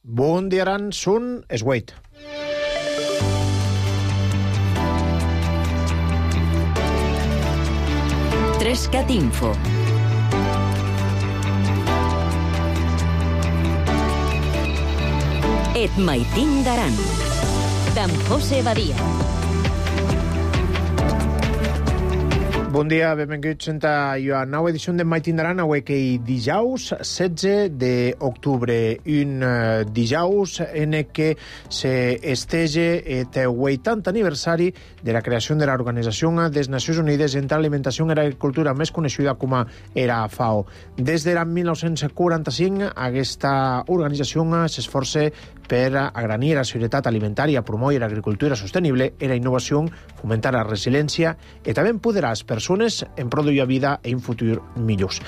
Bundiaran sun esweit. Trescat Info. Et maitin d'aran. D'en José Badia. Bon dia, benvinguts a la nova edició de Maitin d'Aran, avui que dijous 16 d'octubre, un dijous en què s'estege el 80 aniversari de la creació de l'Organització de les Nacions Unides entre Alimentació i Agricultura, més coneixida com a FAO. Des de l'any 1945, aquesta organització s'esforça per agranir la seguretat alimentària, promoure l'agricultura sostenible, la innovació, fomentar la resiliència i també empoderar les persones en produir vida i un futur millors.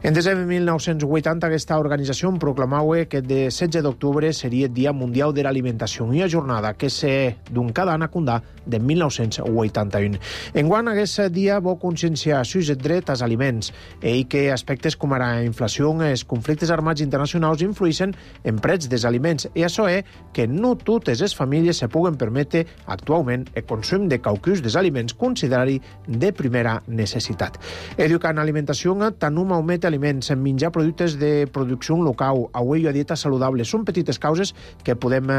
En desembre de 1980, aquesta organització proclamava que el 16 d'octubre seria el Dia Mundial de l'Alimentació, una jornada que se d'un cada any acundà de 1981. Enguany, aquest dia vol conscienciar sus el dret als aliments i que aspectes com la inflació i els conflictes armats internacionals influeixen en preus dels aliments, i això és que no totes les famílies se puguen permetre actualment el consum de qualcus dels aliments considerats de primera necessitat. Educar en alimentació, tant un augment d'aliments, menjar productes de producció local, avui a dieta saludable, són petites causes que podem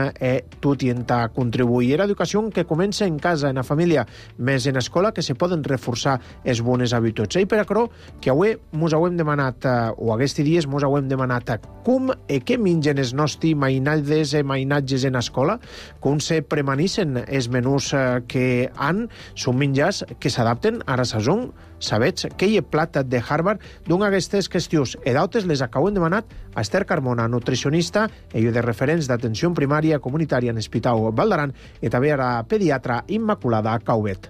tot intentar contribuir. L'educació que comença en casa, en la família, més en escola, que se poden reforçar les bones habituds. I per això que avui mos hem demanat, o aquests dies mos hem demanat, com i què mengen els nostres mainatges i mainatges en escola, com se premanissen els menús que han, són menjars que s'adapten a la sazó. Sabets que hi ha plat de Harvard d'una d'aquestes qüestions i d'altres les acabem demanat a Esther Carmona, nutricionista i de referents d'atenció primària comunitària en l'Hospital Vall d'Aran, i també a la pediatra Immaculada Caubet.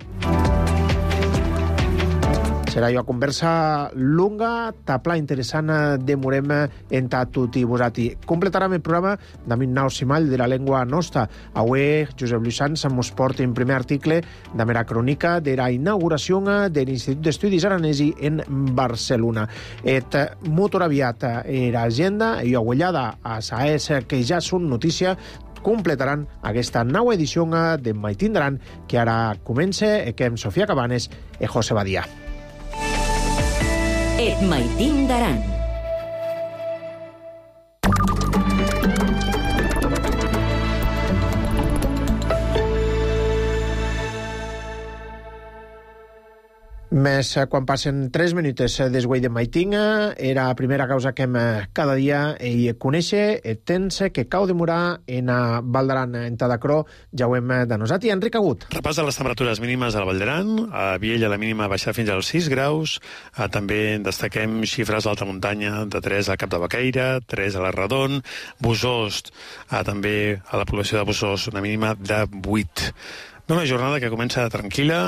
Serà una conversa longa, tapla interessant, demorem entre tot i vosaltres. Completarem el programa d'Amin Nau Simall de la llengua nostra. Avui, Josep Lluís Sans mos porta en primer article de la crònica de la inauguració de l'Institut d'Estudis Aranesi en Barcelona. Et molt aviat l'agenda i agullada a SAES, que ja són notícia, completaran aquesta nova edició de Maitin d'Aran, que ara comença amb Sofia Cabanes i José Badia. Et maitin d'aran. Més quan passen 3 minuts desguai de maitin, era la primera causa que hem cada dia i conèixer el temps que cau demorar en Vall d'Aran, en Tadacró, ja ho hem de nosaltres. Enric Agut. Repàs de les temperatures mínimes al Vall d'Aran. A Viella la mínima baixarà fins als 6 graus. També destaquem xifres d'alta muntanya de 3 al Cap de Baqueira, 3 a la Redon, Bosost, també a la població de Bosost una mínima de 8. Una jornada que comença tranquil·la,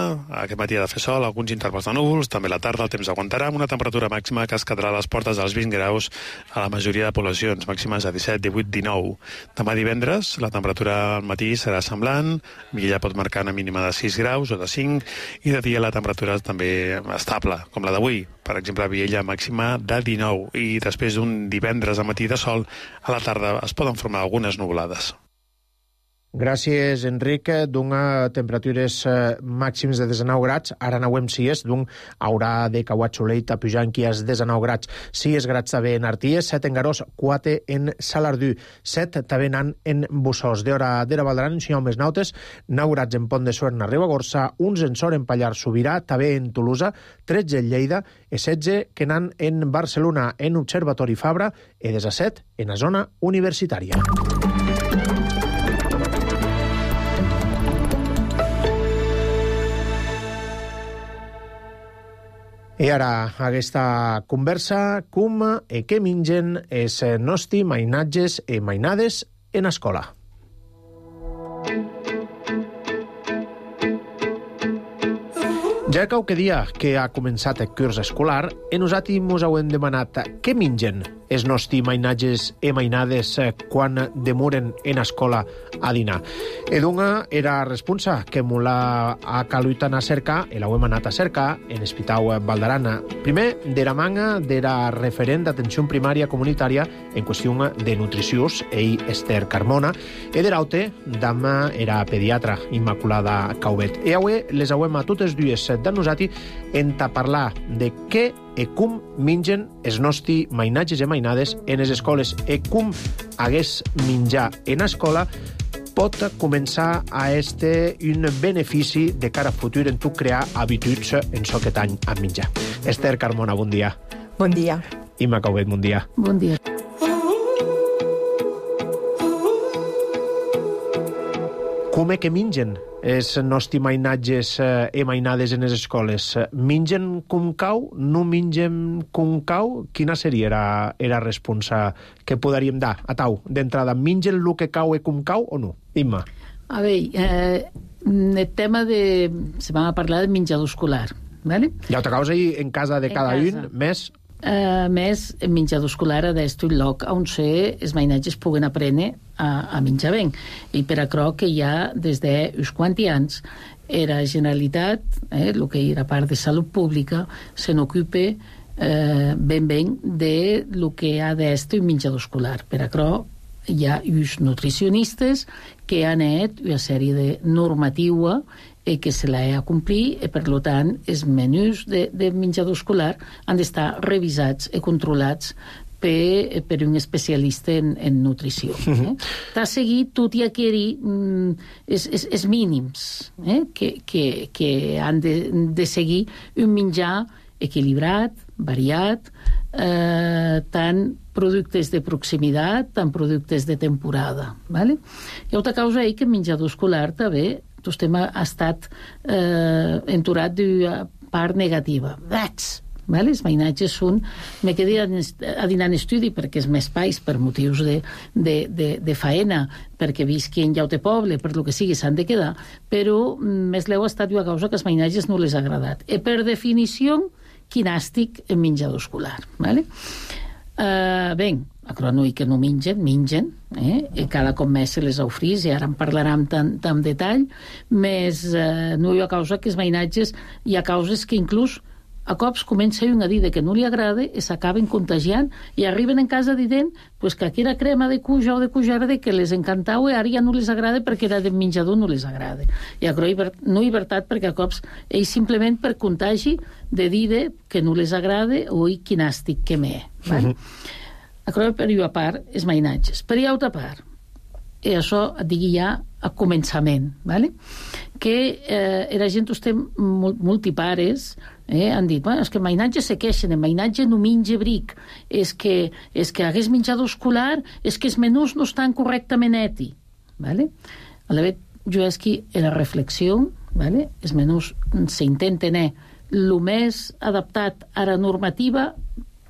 aquest matí ha de fer sol, alguns intervals de núvols, també a la tarda el temps aguantarà, amb una temperatura màxima que es quedarà a les portes dels 20 graus a la majoria de poblacions, màximes a 17, 18, 19. Demà divendres la temperatura al matí serà semblant, Viella pot marcar una mínima de 6 graus o de 5, i de dia la temperatura també estable, com la d'avui. Per exemple, a Viella màxima de 19, i després d'un divendres al matí de sol, a la tarda es poden formar algunes nuvolades. Gràcies, Enric. D'una temperatures màxims de 19 grads, ara anauem si és, d'un haurà de cauat soleil a pujar aquí als 19 grads. 6 grads també en Arties, 7 en Garós, 4 en Salardú, 7 també en Bossòs. D'hora de la Vall d'Aran, si hi ha més nautes, 9 grads en Pont de Suert, en Ribagorça, 11 en Sort, en Pallars Sobirà, també en Tolosa, 13 en Lleida, i 16 que n'han en Barcelona, en Observatori Fabra, i 17 en la zona universitària. I ara, aquesta conversa, com i què mengen els nostres mainatges i mainades en escola. Ja qualque dia que ha començat el curs escolar, e nosaltres mos hem demanat què mengen els nostres mainatges e mainades quan demoren en escola a dinar. E d'una era responsa que mos l'ha calut anar a cercar, e l'hem anat a cercar en Hospital Valderana. Primer, d'era manga d'era referent d'atenció primària comunitària en qüestió de nutrició, ell Esther Carmona, e d'eraute dama era pediatra Immaculada Caubet. E avui les hem a totes dues de nosaltres en parlar de què e com mengen els nostres mainatges i mainades en les escoles e com hagués menjar en escola pot començar a este un benefici de cara a futur en tu crear habituds en so aquest any a menjar. Esther Carmona, bon dia. Bon dia. Imma Caubet, bon dia. Bon dia. Com que mengen els nostres mainatges i mainades en les escoles? Mengen com cau? No mengen com cau? Quina seria la resposta que podríem dar a tau d'entrada? Mengen el que cau i com cau o no? Imma. A veure, el tema de... Se va parlar de menjador escolar, ¿vale? Ja ho t'acaus ahir en casa de cada un, més... Més, el menjador escolar ha d'estar un lloc on els mainatges puguen aprendre a menjar bé. I per això que ja des d'uns quants anys la Generalitat, el que era part de Salut Pública, se n'ocupa ben de lo que ha d'estar un menjador escolar. Per això hi ha uns nutricionistes que han fet una sèrie de normativa que se l'ha de complir i, per tant, els menús de menjador escolar han d'estar revisats i controlats per un especialista en nutrició. T'ha seguit tot i aquell els mínims que han de seguir un menjar equilibrat, variat, tant productes de proximitat, tant productes de temporada. Hi ha una causa que el menjador escolar també tot tema ha estat enturat d'una part negativa. Els mainatges són... Me quedé a dinar en estudi perquè és més espais per motius de faena, perquè visqui en llaute poble, per lo que sigui, s'han de quedar, però més leu ha estat una causa que els mainatges no les ha agradat. I per definició, quinàstic en menjador escolar. Bé, acronui que no mengen, i cada cop més se les ofrís, i ara en parlarem tan detall, més no hi ha causa que els mainatges, hi ha causes que inclús a cops comença un a dir que no li agrada i s'acaben contagiant i arriben en casa dient que aquella crema de cuja o de cujarda que les encantava i ara ja no les agrada perquè era de menjador no les agrada. I no hi veritat perquè a cops ells simplement per contagi de dir que no les agrada o quinàstic que m'he. Acroy per una part els mainatges. Per l'altra part, i això et digui ja a començament, que la gent estem multipares han dit, és que el mainatge se queixen, el mainatge no menja bric, és que hagués menjador escolar, és que els menús no estan correctament eti. Aleshores, jo és que la reflexió, els menús s'intenten el més adaptat a la normativa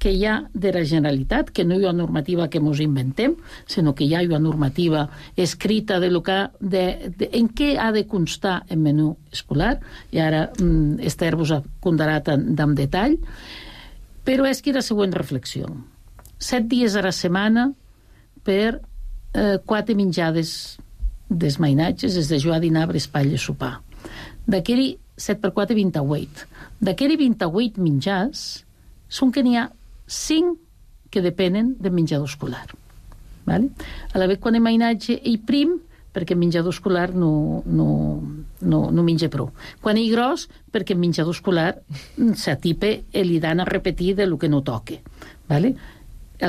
que hi ha de la Generalitat, que no hi ha una normativa que ens inventem, sinó que hi ha una normativa escrita de en què ha de constar el menú escolar, i ara Esther vos ha contarat en detall, però és que la següent reflexió. 7 dies a la setmana per 4 menjades dels mainatges, és de jugar a dinar, espatlla, sopar. D'aquell 7 per 4, 28. D'aquell 28 menjars són que n'hi ha 5 que depenen del menjador escolar. A la vegada quan el mainatge és prim, perquè el menjador escolar no menja prou. Quan és gros, perquè el menjador escolar s'atipa i li dan a repetir del que no toca. A la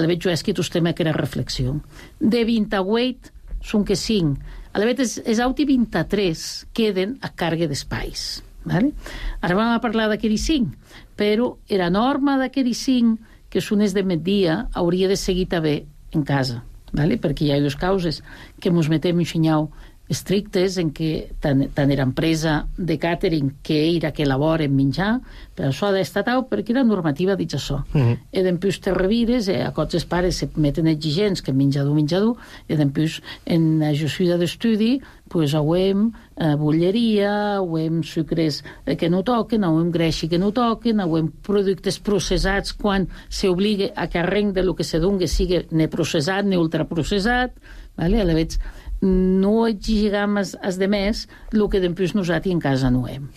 vegada jo és que tostem aquella reflexió. De 28 són que 5. A la vegada els altres 23 queden a càrrega d'espais. Ara vam a parlar d'aquells 5, però la norma d'aquells 5 que són els de migdia, hauria de seguir també en casa, perquè hi ha dues causes que ens metem un xinyau estrictes en què tant l'empresa de càtering que era que elabora menjar, però això ha d'estar tau perquè la normativa diu això. I després te revires, a cots els pares se meten exigents que menjador, i després en la ajuda d'estudi pues auem bolleria, auem sucres que no toquen, auem greixi que no toquen, auem productes processats quan s'obliga a que arrenc de lo que se doni sigui ne processat, ne ultraprocessat, vale? A la vegada no exigam als demés el que després nosaltres en casa no hem.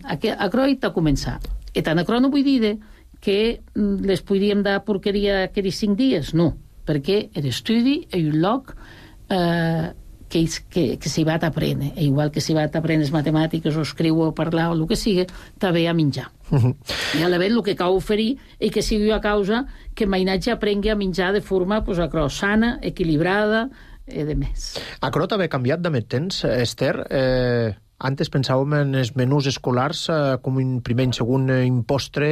Aquerò t'ha començat. I tant aquerò no vull dir que les podríem dar porqueria aquells 5 dies, no, perquè l'estudi és un lloc que s'hi va t'aprendre, igual que s'hi va t'aprendre les matemàtiques o escriure o parlar o el que sigui, també a menjar. I a la vegada el que cal oferir és que sigui a causa que mainatge aprengui a menjar de forma sana, equilibrada, de més. Aquerò també ha canviat de més temps, Esther. Antes pensàvem en els menús escolars com un primer i segon impostre,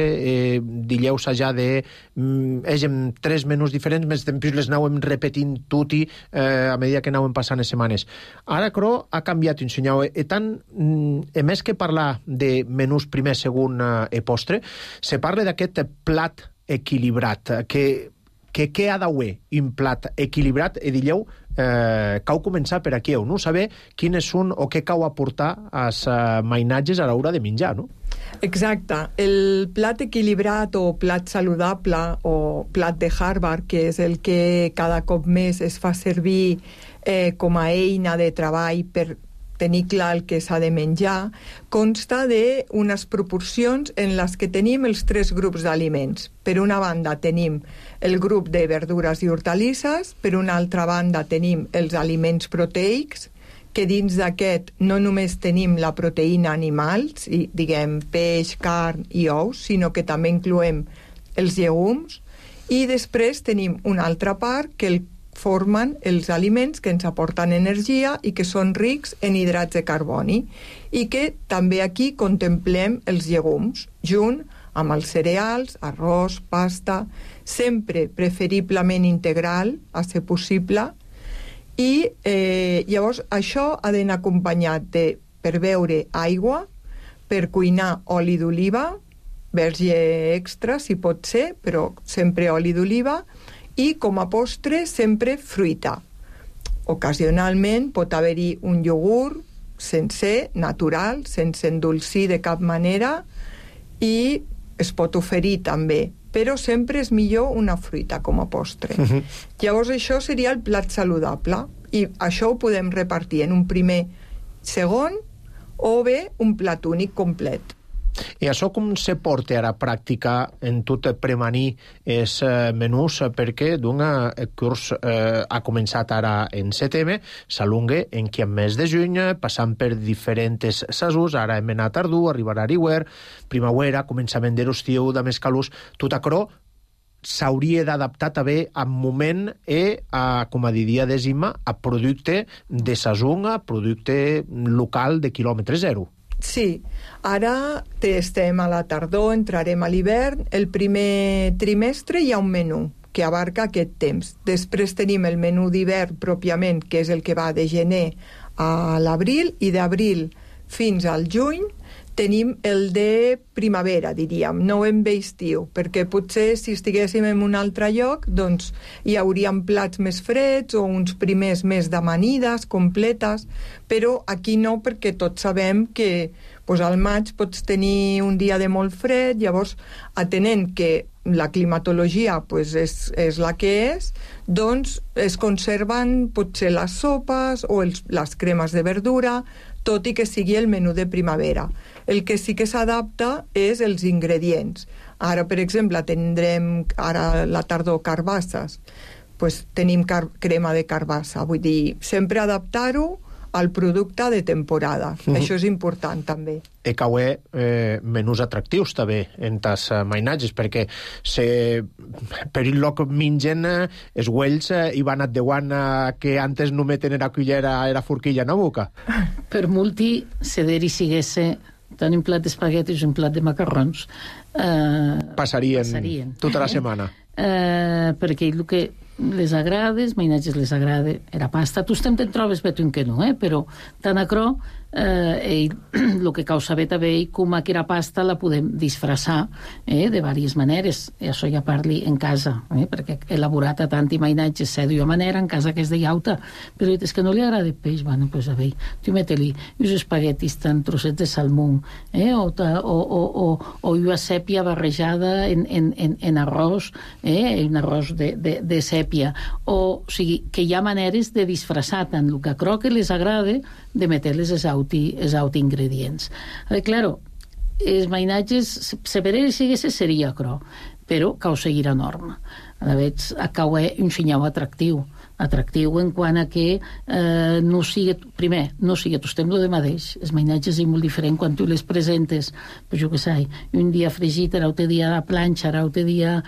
dillaus allà de hègem 3 menús diferents, més després les anàvem repetint tutti a mesura que anàvem passant les setmanes. Ara, però, ha canviat, ensenyau. I tant, a més que parlar de menús primer, segon i postre, se parla d'aquest plat equilibrat, que què ha d'haver un plat equilibrat, i dilleu, cau començar per aquí, no? Saber quines són o què cau aportar als mainatges a l'hora de menjar, no? Exacte. El plat equilibrat o plat saludable o plat de Harvard, que és el que cada cop més es fa servir com a eina de treball per tenir clar el que s'ha de menjar, consta d'unes proporcions en les que tenim els 3 grups d'aliments. Per una banda tenim el grup de verdures i hortalisses, per una altra banda tenim els aliments proteics, que dins d'aquest no només tenim la proteïna animal, diguem peix, carn i ous, sinó que també incloem els llegums, i després tenim una altra part que formen els aliments que ens aporten energia i que són rics en hidrats de carboni, i que també aquí contemplem els llegums, junt amb els cereals, arròs, pasta, sempre preferiblement integral, a ser possible, i llavors això ha d'anar acompanyat de, per beure, aigua, per cuinar oli d'oliva, verge extra si pot ser, però sempre oli d'oliva, i com a postre sempre fruita. Ocasionalment pot haver-hi un iogurt sencer, natural, sense endolcir de cap manera, i es pot oferir també, però sempre és millor una fruita com a postre. Llavors això seria el plat saludable, i això ho podem repartir en un primer, segon, o bé un plat únic complet. I això com se porta ara a pràctica en tot premanir els menús, perquè el curs ha començat ara en setembre, s'alunga en que en mes de juny, passant per diferents sasos, ara hem anat tardor, arribarà a hivern, primavera, començament de l'estiu, de més calús, tot això s'hauria d'adaptar també al moment com a diria Decima, a producte de sason, a producte local de quilòmetre zero. Sí, ara estem a la tardor, entrarem a l'hivern. El primer trimestre hi ha un menú que abarca aquest temps. Després tenim el menú d'hivern pròpiament, que és el que va de gener a l'abril, i d'abril fins al juny tenim el de primavera, diríem, no en ve estiu, perquè potser si estiguéssim en un altre lloc, doncs hi hauríem plats més freds o uns primers més d'amanides completes, però aquí no, perquè tots sabem que al maig pots tenir un dia de molt fred, llavors, atenent que la climatologia és la que és, doncs es conserven potser les sopes o les cremes de verdura, tot i que sigui el menú de primavera. El que sí que s'adapta és els ingredients. Ara, per exemple, tindrem ara la tardor carbasses. Tenim crema de carbassa. Vull dir, sempre adaptar-ho al producte de temporada. Això és important, també. I cauer menús atractius, també, en tas mainatges, perquè per un lloc mengen els güells i van adeuant que antes no meten la cullera a la forquilla en la boca. Per multi, se siguesse tant un plat d'espaguetis i un plat de macarrons passarien tota la setmana. Perquè el que les agrada, els mainatges les agrada, era pasta. Tu te'n trobes betum que no, però tant acrò el que cal saber també com aquella pasta la podem disfressar de diverses maneres, i això ja parli en casa, perquè he elaborat a tant imaginatges sé d'una manera, en casa que és de llauta, però és que no li agrada peix, bueno, pues a veure, tu mete-li uns espaguetis tan trossets de salmó, o una sèpia barrejada en arròs, un arròs de sèpia, o sigui, que hi ha maneres de disfressar tant el que crec que les agrada de meter-les els ingredients. Claro, els mainatges, se per ells seria cro, però cal seguir a norma. A vegades, cau un senyal atractiu en quant a que no sigui, primer, no sigui tot temps de mateix. Els mainatges és molt diferent quan tu les presentes, pues jo què sé, un dia fregit, l'altre dia a planxa, l'altre dia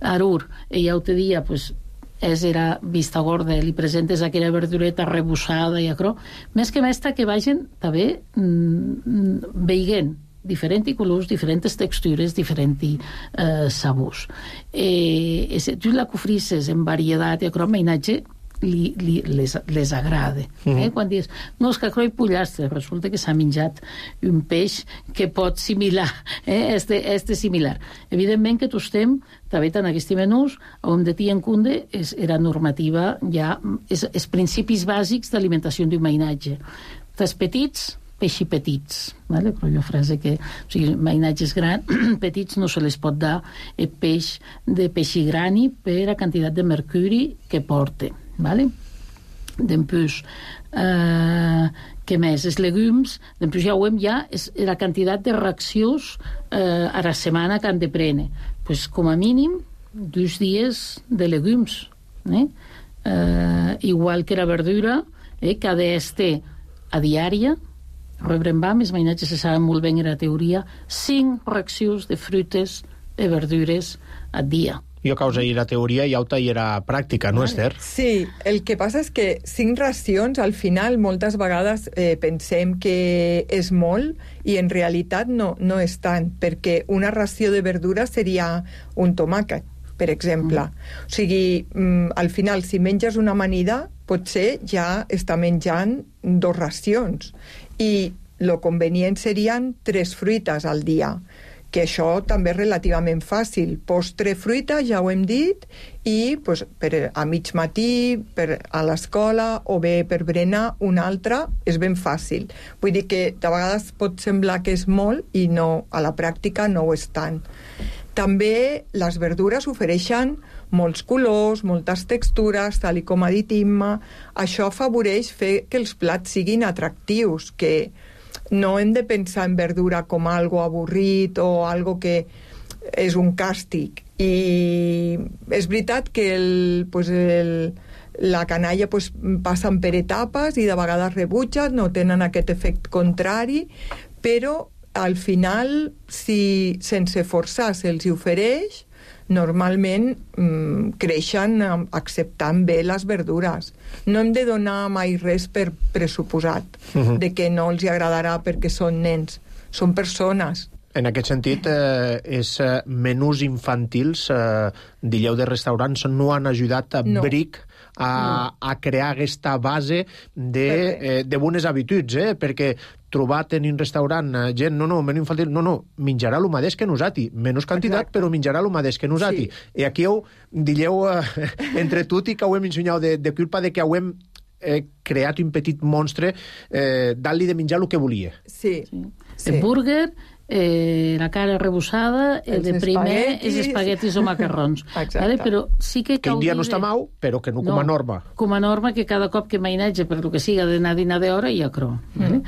arur, i l'altre dia, pues, era vista gorda, li presentes aquella verdureta rebussada i acrò, més que més que vagin també veient diferents colors, diferents textures, diferents sabors. Tu la cofrisses en varietat i acrò, mainatge les agrada. Quan dius, no, és que acrò hi pollastre, resulta que s'ha menjat un peix que pot similar, similar. Evidentment que tots estem, també en aquests menús, on de tia en cunde era normativa, ja, els principis bàsics d'alimentació d'un mainatge. Els petits, peixi petits, vale? Però jo frase que, o sigui, mainatges grans, petits no se les pot dar peix de peixi grani per la quantitat de mercuri que porta, vale? Després, què més? Els legumes, després ja ho hem és la quantitat de reaccions a la setmana que han de prendre. Pues, com a mínim, 2 dies de legumes. Igual que la verdura, que ha d'estar a diària, Rembrandt, els mainatges se saben molt bé en la teoria, 5 racions de fruites i verdures al dia. Jo causa i la teoria i auta i era pràctica, no, Esther? Sí, el que passa és que 5 racions, al final, moltes vegades pensem que és molt i en realitat no és tant, perquè una ració de verdura seria un tomàquet, per exemple. O sigui, al final, si menges una amanida, potser ja està menjant 2 racions. I el convenient serien 3 fruites al dia, que això també és relativament fàcil. Postre, fruita, ja ho hem dit, i pues, a mig matí, a l'escola, o bé per berenar, una altra, és ben fàcil. Vull dir que de vegades pot semblar que és molt i no, a la pràctica no ho és tant. També les verdures ofereixen molts colors, moltes textures, tal com ha dit Imma. Això afavoreix fer que els plats siguin atractius, que no hem de pensar en verdura com algo avorrit o algo que és un càstig. I és veritat que la canalla passen per etapes i de vegades rebutgen, no tenen aquest efecte contrari, però al final, si sense forçar se'ls ofereix, normalment creixen acceptant bé les verdures. No hem de donar mai res per pressuposat de que no els agradarà perquè són nens, són persones. En aquest sentit, els menús infantils, dilleu de restaurants, no han ajudat a Bric a crear aquesta base de bones habituds, perquè trobat en un restaurant gent, menú infantil, menjarà el mateix que nosaltres, menys quantitat, però menjarà el mateix que nosaltres. I aquí dilleu entre tot i que ho hem ensenyat de culpa de que ho hem creat un petit monstre dant-li de menjar el que volia. Sí. El burger, la cara rebussada, el de primer, els espaguetis o macarrons. Vale? Però sí que un dia no està mau, però que no com a norma. Com a norma, que cada cop que mainatge, per el que siga d'anar a dinar d'hora, hi ha cro. Vale?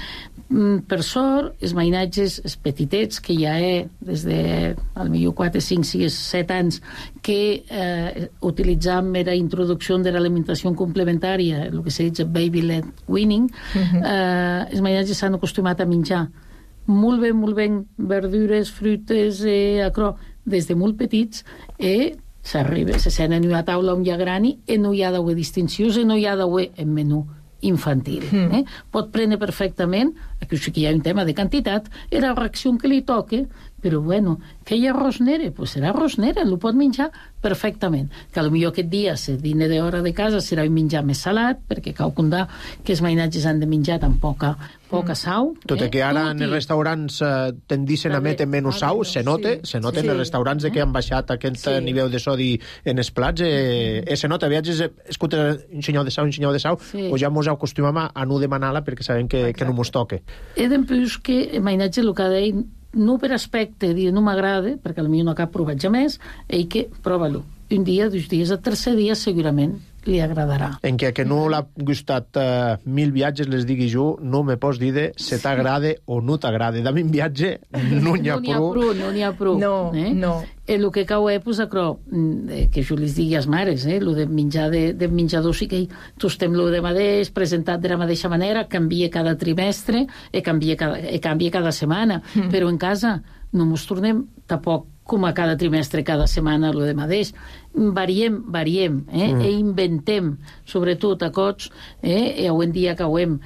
Per sort, els mainatges, els petitets, que ja des de al millor 4, 5, 6, 7 anys, que utilitzam la introducció de l'alimentació complementària, el que se diu baby-led weaning, els mainatges s'han acostumat a menjar molt ben verdures, fruites, des de molt petits, se sent en una taula on hi ha grani i no hi ha d'haver distincions i no hi ha d'haver en menú infantil. Pot prendre perfectament, aquí sí que hi ha un tema de quantitat, la reacció que li toque però bueno, que hi ha arròs negre? Pues serà arròs negre, el pot menjar perfectament. Que potser aquest dia, si dine d'hora de casa, serà un menjar més salat, perquè cal comptar que els mainatges han de menjar tan poca sau. Tot i que ara en els restaurants tendicen a metre menys sau, se nota en els restaurants que han baixat aquest nivell de sodi en els plats, se nota, viatges, escolta, un senyal de sau, o ja mos acostumem a no demanar-la perquè sabem que no mos toque. He d'empús que el mainatge, el que deia, no per aspecte, dir no m'agrada, perquè potser no cap provat ja més, i que prova-lo. Un dia, 2 dies, el tercer dia segurament li agradarà. En que no l'ha gustat 1000 viatges, les digui jo, no me pots dir se t'agrada o no t'agrada. De 1000 viatges no n'hi ha prou. No n'hi ha prou. No. El que cau és, que jo les digui als mares, el de menjar de menjador, sí que tostem-lo de mateix, presentat de la mateixa manera, canvia cada trimestre, canvia cada setmana, però en casa no ens tornem tampoc com a cada trimestre, cada setmana, el de mateix. Variem, i inventem, sobretot a cots, avui en dia que hauem,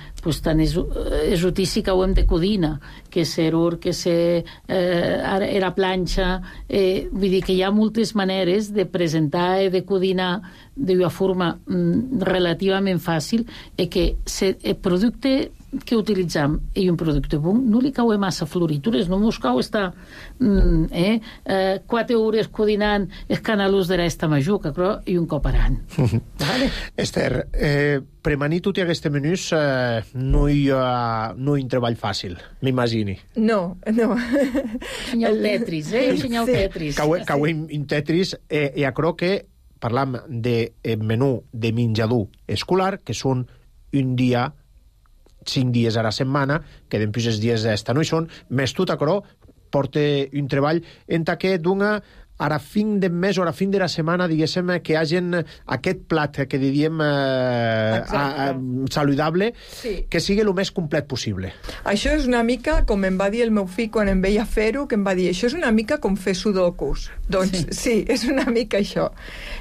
tant esotici que hauem de codina, que ser que era planxa, vull dir que hi ha moltes maneres de presentar i de codinar d'una forma relativament fàcil, i que el producte que utilitzam i un producte bon no li cau massa floritures, no mos cau estar 4 hores codinant els canalus de resta majuca, però i un cop ara. Vale? Esther, premanir tot aquest menús no hi ha un treball fàcil, m'imagini. No. Senyal Tetris, senyal Tetris. Cauem en Tetris, i crec que parlam de menú de menjador escolar, que són un dia 5 dies a la setmana, que després els dies d'esta no hi són, més tot acrò porta un treball en que dona a la fin de mes o a la fin de la setmana, diguéssim, que hagin aquest plat que diríem saludable, que sigui el més complet possible. Això és una mica, com em va dir el meu fill quan em veia fer-ho, que em va dir, això és una mica com fer sudokus. Doncs sí, és una mica això.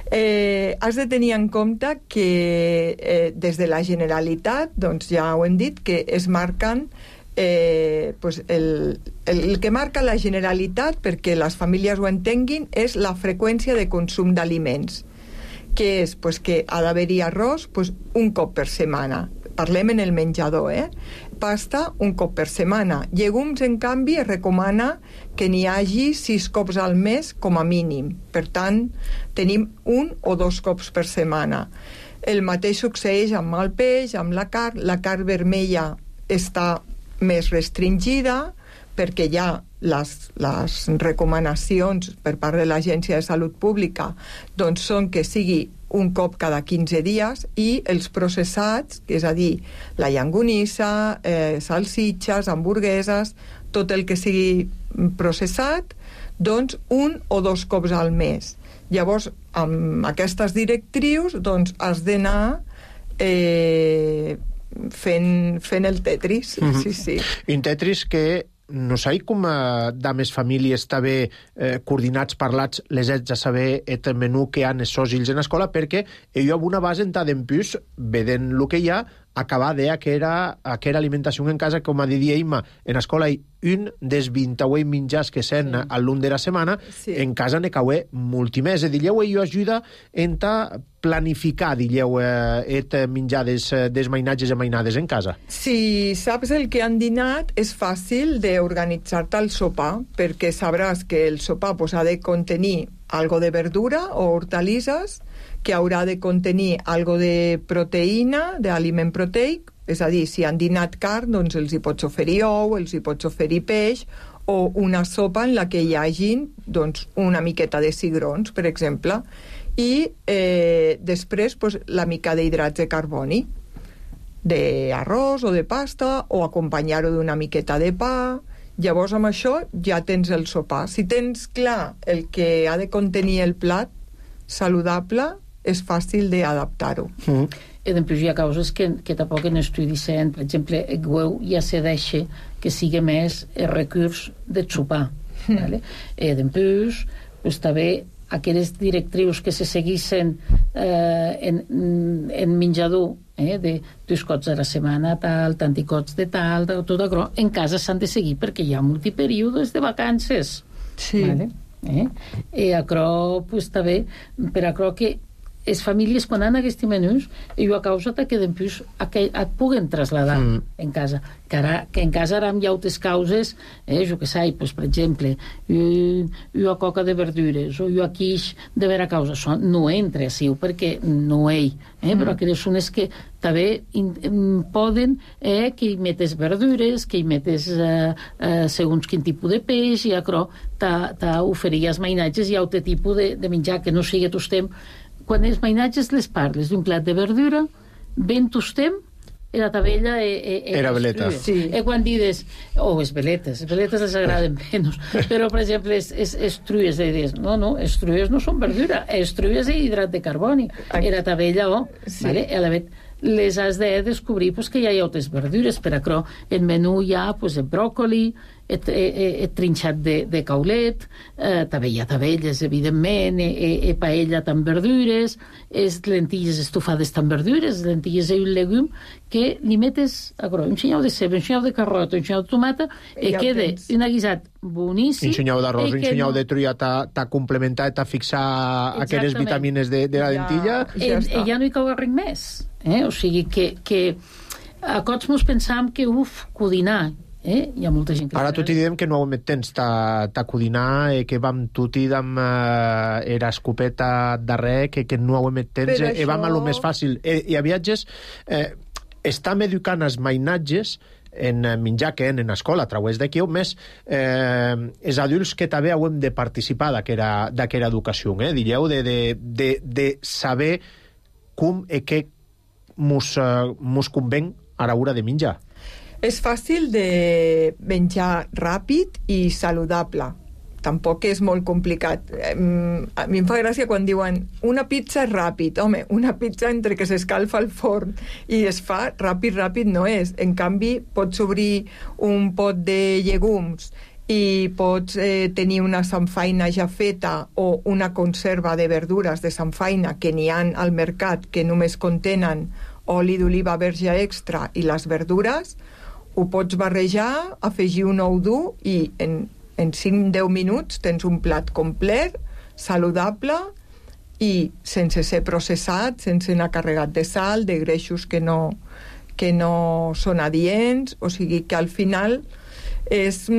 Has de tenir en compte que des de la Generalitat, doncs ja ho hem dit, que es marquen el que marca la Generalitat, perquè les famílies ho entenguin, és la freqüència de consum d'aliments, que és que ha d'haver-hi arròs un cop per setmana. Parlem en el menjador, pasta un cop per setmana. Llegums, en canvi, es recomana que n'hi hagi 6 cops al mes com a mínim. Per tant, tenim 1 o 2 cops per setmana. El mateix succeeix amb el peix, amb la carn. La carn vermella està més restringida perquè ja les recomanacions per part de l'Agència de Salut Pública doncs són que sigui un cop cada 15 dies, i els processats, és a dir, la llangonissa, salsitxes, hamburgueses, tot el que sigui processat, doncs 1 o 2 cops al mes. Llavors, amb aquestes directrius, doncs has d'anar fent el Tetris. Sí. Un Tetris que no sé com dames famílies també coordinats, parlats, les haig de saber el menú que han els seus fills en l'escola, perquè jo amb una base en d'empús, vedent el que hi ha, acabar de que era alimentació en casa, com a diria Imma, en l'escola hi un dels 28 menjars que sent a l'un de la setmana, en casa ne caué moltimés. Dilleu, jo ajuda en planificar, dilleu, menjar des mainatges i mainades en casa. Si saps el que han dinat, és fàcil d'organitzar-te el sopar, perquè sabràs que el sopar ha de contenir algo de verdura o hortalisses, que haurà de contenir algo de proteïna, d'aliment proteic, és a dir, si han dinat carn, doncs els hi pots oferir ou, els hi pots oferir peix, o una sopa en la que hi hagin doncs, una miqueta de cigrons, per exemple, i després la mica d'hidrats de carboni, d'arròs o de pasta, o acompanyar-ho d'una miqueta de pa. Llavors, amb això ja tens el sopar. Si tens clar el que ha de contenir el plat saludable, és fàcil d'adaptar-ho. I després hi ha causes que tampoc en estudi dient, per exemple, el huevo ja se deixa que sigui més el recurs de sopar. I després, també aquelles directrius que se seguissin en menjador, de 2 cops a la setmana, tal, tanti cops de tal, tot això, en casa s'han de seguir perquè hi ha multiperíodes de vacances. Sí. Vale? I això, pues, també, per això que les famílies, quan han aquests menús, jo a causa que després et puguen traslladar en casa. Que en casa ara hi ha altres causes, jo que sé, pues, per exemple, jo a coca de verdures, o jo a quiix de vera causa. Això no entra així, perquè no hi, però aquelles són les que també poden que hi metes verdures, que hi metes segons quin tipus de peix, i això t'oferir els mainatges i altre tipus de menjar, que no sigui tostem. Quan els mainatges les parles d'un plat de verdura, ben tostem, la tabella era veleta. Sí. Quan dius, les veletes les agraden menys, però, per exemple, les trues, dius, no, les trues no són verdura, les trues és hidrat de carboni, la tabella, vale? Les has de descobrir que hi ha altres verdures, per això el menú hi ha el bròcoli, el trinxat de caulet, també hi ha tabelles, evidentment, paella amb verdures, lentilles estofades amb verdures, lentilles i un legum, que li metes un xinyau de ceba, un xinyau de carrota, un xinyau de tomata, i queda un guisat boníssim. Un xinyau d'arròs, un xinyau de trulla t'ha complementat, t'ha fixat aquelles vitamines de la lentilla. I ja no hi cau res més. O sigui que a cops mos pensam que codinar, hi ha molta gent que... Ara tot i diem que no hem temps ta codinar, que vam tot i amb era escopeta darrer, que no hem temps, i vam a lo més fàcil. I a viatges estam educant els mainatges en menjar que en escola, a través d'aquí, més els adults que també hem de participar d'aquesta educació, direu, de saber com i què mos conven a l'hora de menjar. És fàcil de menjar ràpid i saludable. Tampoc és molt complicat. A mi em fa gràcia quan diuen una pizza és ràpid. Home, una pizza entre que s'escalfa al forn i es fa ràpid no és. En canvi, pots obrir un pot de llegums i pots tenir una samfaina ja feta o una conserva de verdures de samfaina que n'hi ha al mercat que només contenen oli d'oliva verge extra i les verdures, ho pots barrejar, afegir un ou dur i en 5-10 minuts tens un plat complet, saludable i sense ser processat, sense anar carregat de sal, de greixos que no són adients, o sigui que al final és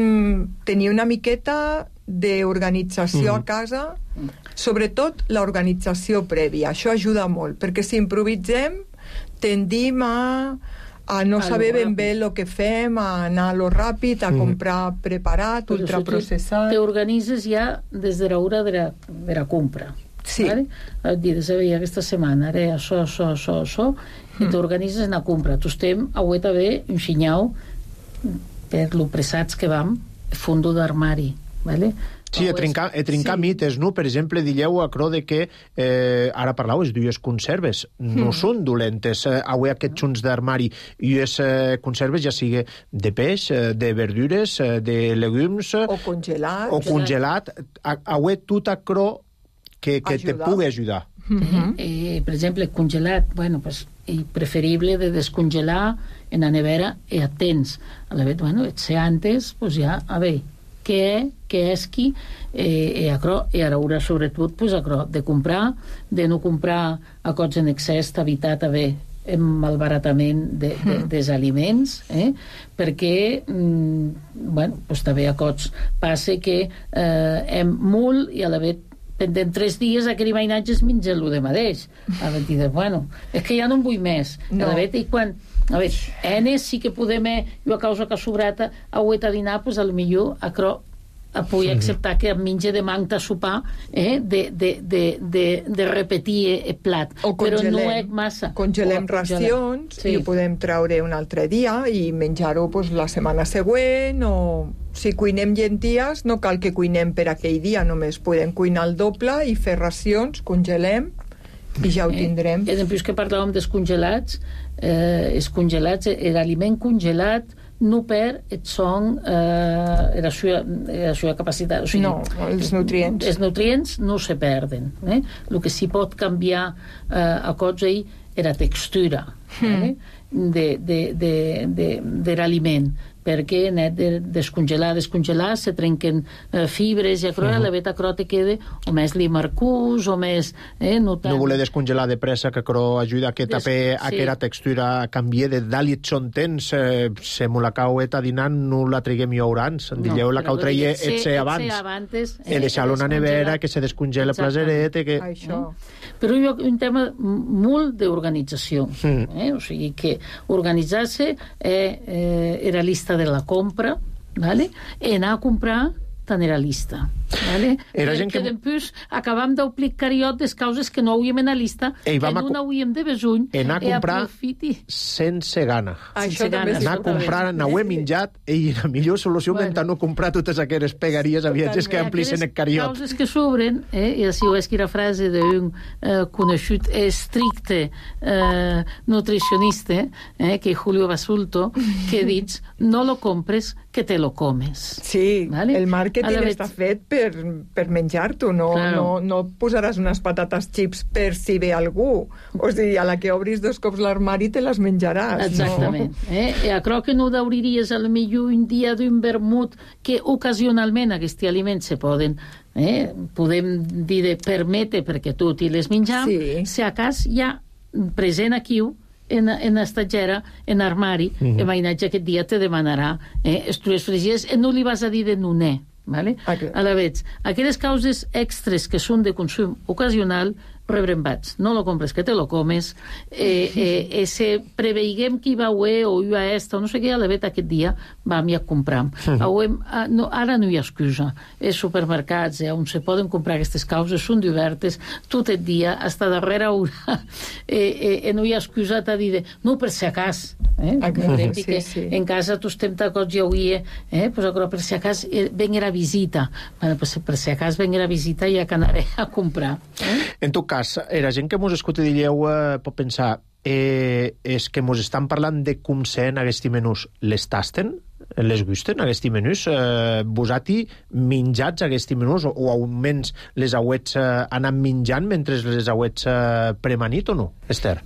tenir una miqueta d'organització a casa, sobretot l'organització prèvia. Això ajuda molt, perquè si improvisem tendim a no saber ben bé el que fem, a anar a lo ràpid, a comprar preparat, ultraprocessat. T'organitzes ja des de l'hora de la compra. Sí. Vale? Dius, aquesta setmana haré això, i t'organitzes en la compra. Tu estem a també un xinyau per lo pressats que vam, fondo d'armari, vale? Sí, trincar mites, no? Per exemple, digueu acrò de que ara parlau, les dues conserves no són dolentes. Avui aquests junts d'armari i les conserves ja sigui de peix, de verdures, de legumes o congelat. Avui tot acrò que te pugui ajudar. Per exemple, congelat, preferible de descongelar en la nevera i atents. Et sé antes, ja, a veure, què és qui, i ara sobretot de comprar, de no comprar a cots en excés, evitar també el malbaratament dels aliments, perquè també a cots passa que hem molt i a la vegada pendent 3 dies aquell mainatge es menja el de mateix. És que ja no en vull més. I quan sí que podem, jo a causa que ha sobrat a dinar, a lo millor a poder acceptar que em menja de manca a sopar, de repetir el plat. Però no és massa. Congelem racions i ho podem treure un altre dia i menjar-ho la setmana següent, o si cuinem llenties no cal que cuinem per aquell dia, només podem cuinar el doble i fer racions, congelem i ja ho tindrem. Després que parlàvem dels congelats, l'aliment congelat no perd et son la seva capacitat. O sigui, no, els nutrients. Els nutrients no se perden. El que s'hi pot canviar a cosa és la textura de l'aliment, perquè net de descongelar, se trenquen fibres i la beta te queda o més limarcús o més... No voler descongelar de pressa, que ajuda a que també aquella textura canvie de dalt i són temps, se me la cau dinant, no la triguem jo orans. Dilleu la cau treia etxe abans. I deixar-lo en la nevera, que se descongela plaseret. Però hi ha un tema molt d'organització. O sigui que organitzar-se era lista de la compra, ¿vale? I anar a comprar tan era lista. ¿Vale? Era gent que després acabam d'omplir cariot des causes que no hauríem en la lista, que no n'hauríem de besuny, anar a comprar sense gana. Anar a comprar, n'hauem menjat, i la millor solució és no comprar totes aquelles pegaries a viatges que amplisen el cariot. Causes que s'obren, i així ho és que la frase d'un conegut estricte nutricionista, que és Julio Basulto, que dius, no lo compres, que te lo comes. Sí, el màrqueting està fet per menjar-t'ho, no posaràs unes patates chips per si ve algú. O sigui, a la que obris 2 cops l'armari te les menjaràs. Exactament. I crec que no deuries a lo millor un dia d'un vermut que ocasionalment aquests aliments se poden podem dir de permetre perquè tot i les menjam, si a cas hi ha present aquí en estatgera, en armari, el veïnatge aquest dia te demanarà estrues fregides i no li vas a dir de noner. Vale? A la vez, aquelles causes extres que són de consum ocasional, rebrembats. No lo compres, que te lo comes. Se preveiguem que hi va haver o hi va esta, o no sé què, a la vez aquest dia vam ja comprar. Ara no hi ha excusa. Els supermercats on se poden comprar aquestes causes són obertes tot el dia, hasta darrere hora. No hi ha excusa de dir, no, per si acas. En casa tu estem tacots ja avui, però per si acas venir a visita. Per si acas venir a visita ja que anaré a comprar. En tot cas, la gent que mos escolta dilleu pot pensar és que mos estan parlant de com sent aquests menús. Les tasten? Les gusten, aquests menús? Vosati menjats aquests menús o almenys les auets anant menjant mentre les auets premanit o no, Esther?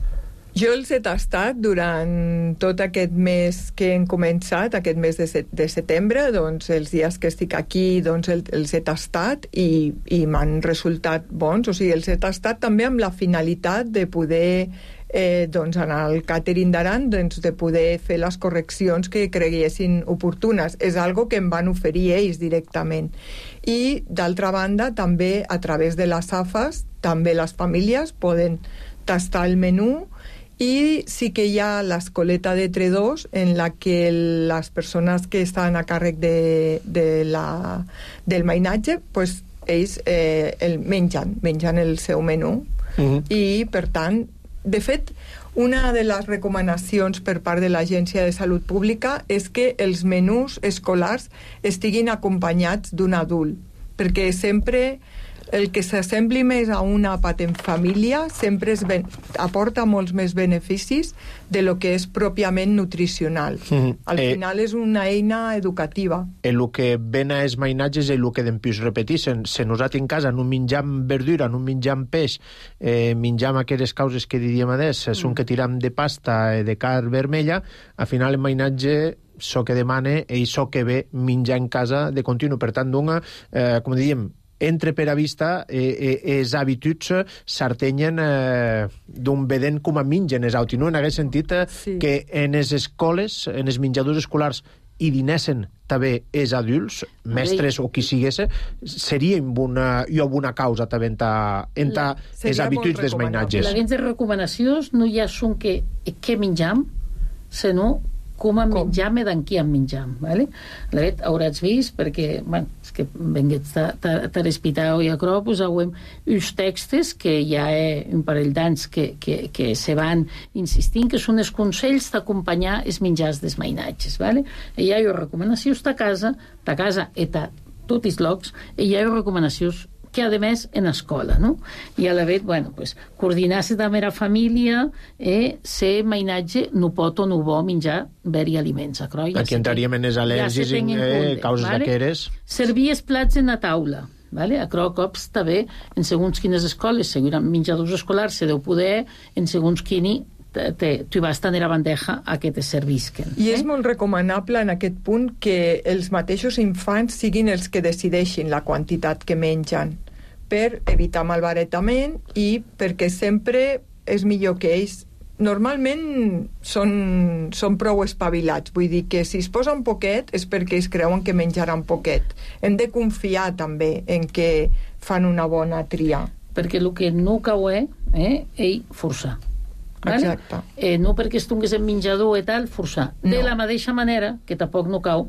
Jo els he tastat durant tot aquest mes que hem començat, aquest mes de setembre, doncs els dies que estic aquí doncs els he tastat i m'han resultat bons, o sigui, els he tastat també amb la finalitat de poder doncs anar al càtering d'Aran, doncs de poder fer les correccions que creguessin oportunes. És algo que em van oferir ells directament. I, d'altra banda, també a través de les AFAS, també les famílies poden tastar el menú. I sí que hi ha l'escoleta de Tredós en la que les persones que estan a càrrec del mainatge, pues, ells mengen el seu menú. I, per tant, de fet, una de les recomanacions per part de l'Agència de Salut Pública és que els menús escolars estiguin acompanyats d'un adult, perquè sempre el que s'assembli més a un àpat en família sempre aporta molts més beneficis de lo que és pròpiament nutricional. Al final és una eina educativa. El que ven a els mainatges és el que dempius repetir. Se nosaltres en casa no menjam verdura, no menjam peix, menjam aquelles causes que diríem adés, són que tiram de pasta, de carn vermella, al final el mainatge so que demana i so que ve menjar en casa de continu. Per tant, com diríem, entre per a vista els hàbituds s'artenyen d'un vedent com a mengen els autis, no? En aquest sentit que en les escoles, en els menjadors escolars i dinessen també els adults, mestres o qui sigués, seria una causa també en els hàbituds dels mainatges. Les recomanacions no ja són que menjam, sinó com a menjam i d'en qui en menjam. La vet hauràs vist, perquè és que venguets de l'hospital i a crop, posauem uns textos que hi ha un parell d'anys que se van insistint, que són els consells d'acompanyar els menjars dels mainatges. I hi ha recomanacions de casa i de tots els llocs, i hi ha recomanacions que a més en escola, no? I a la vegada, bueno, pues, coordinar-se també la família, se mainatge no pot o no vol menjar beri aliments. Aquí entraríem en les al·lèrgies, causes d'aqueres. Servir els plats en la taula. Vale? A cops també, en segons quines escoles, segurament menjadors escolars se deu poder, en segons quini tu vas tenir a bandeja a que te servisquen. I és molt recomanable en aquest punt que els mateixos infants siguin els que decideixin la quantitat que mengen, per evitar malbaratament i perquè sempre és millor que ells normalment són prou espavilats, vull dir que si es posa un poquet és perquè ells creuen que menjaran poquet. Hem de confiar també en que fan una bona tria. Perquè el que no cau ell forçar. Vale? Exacte. No perquè estongues en menjador i tal, forçar. No. De la mateixa manera que tampoc no cau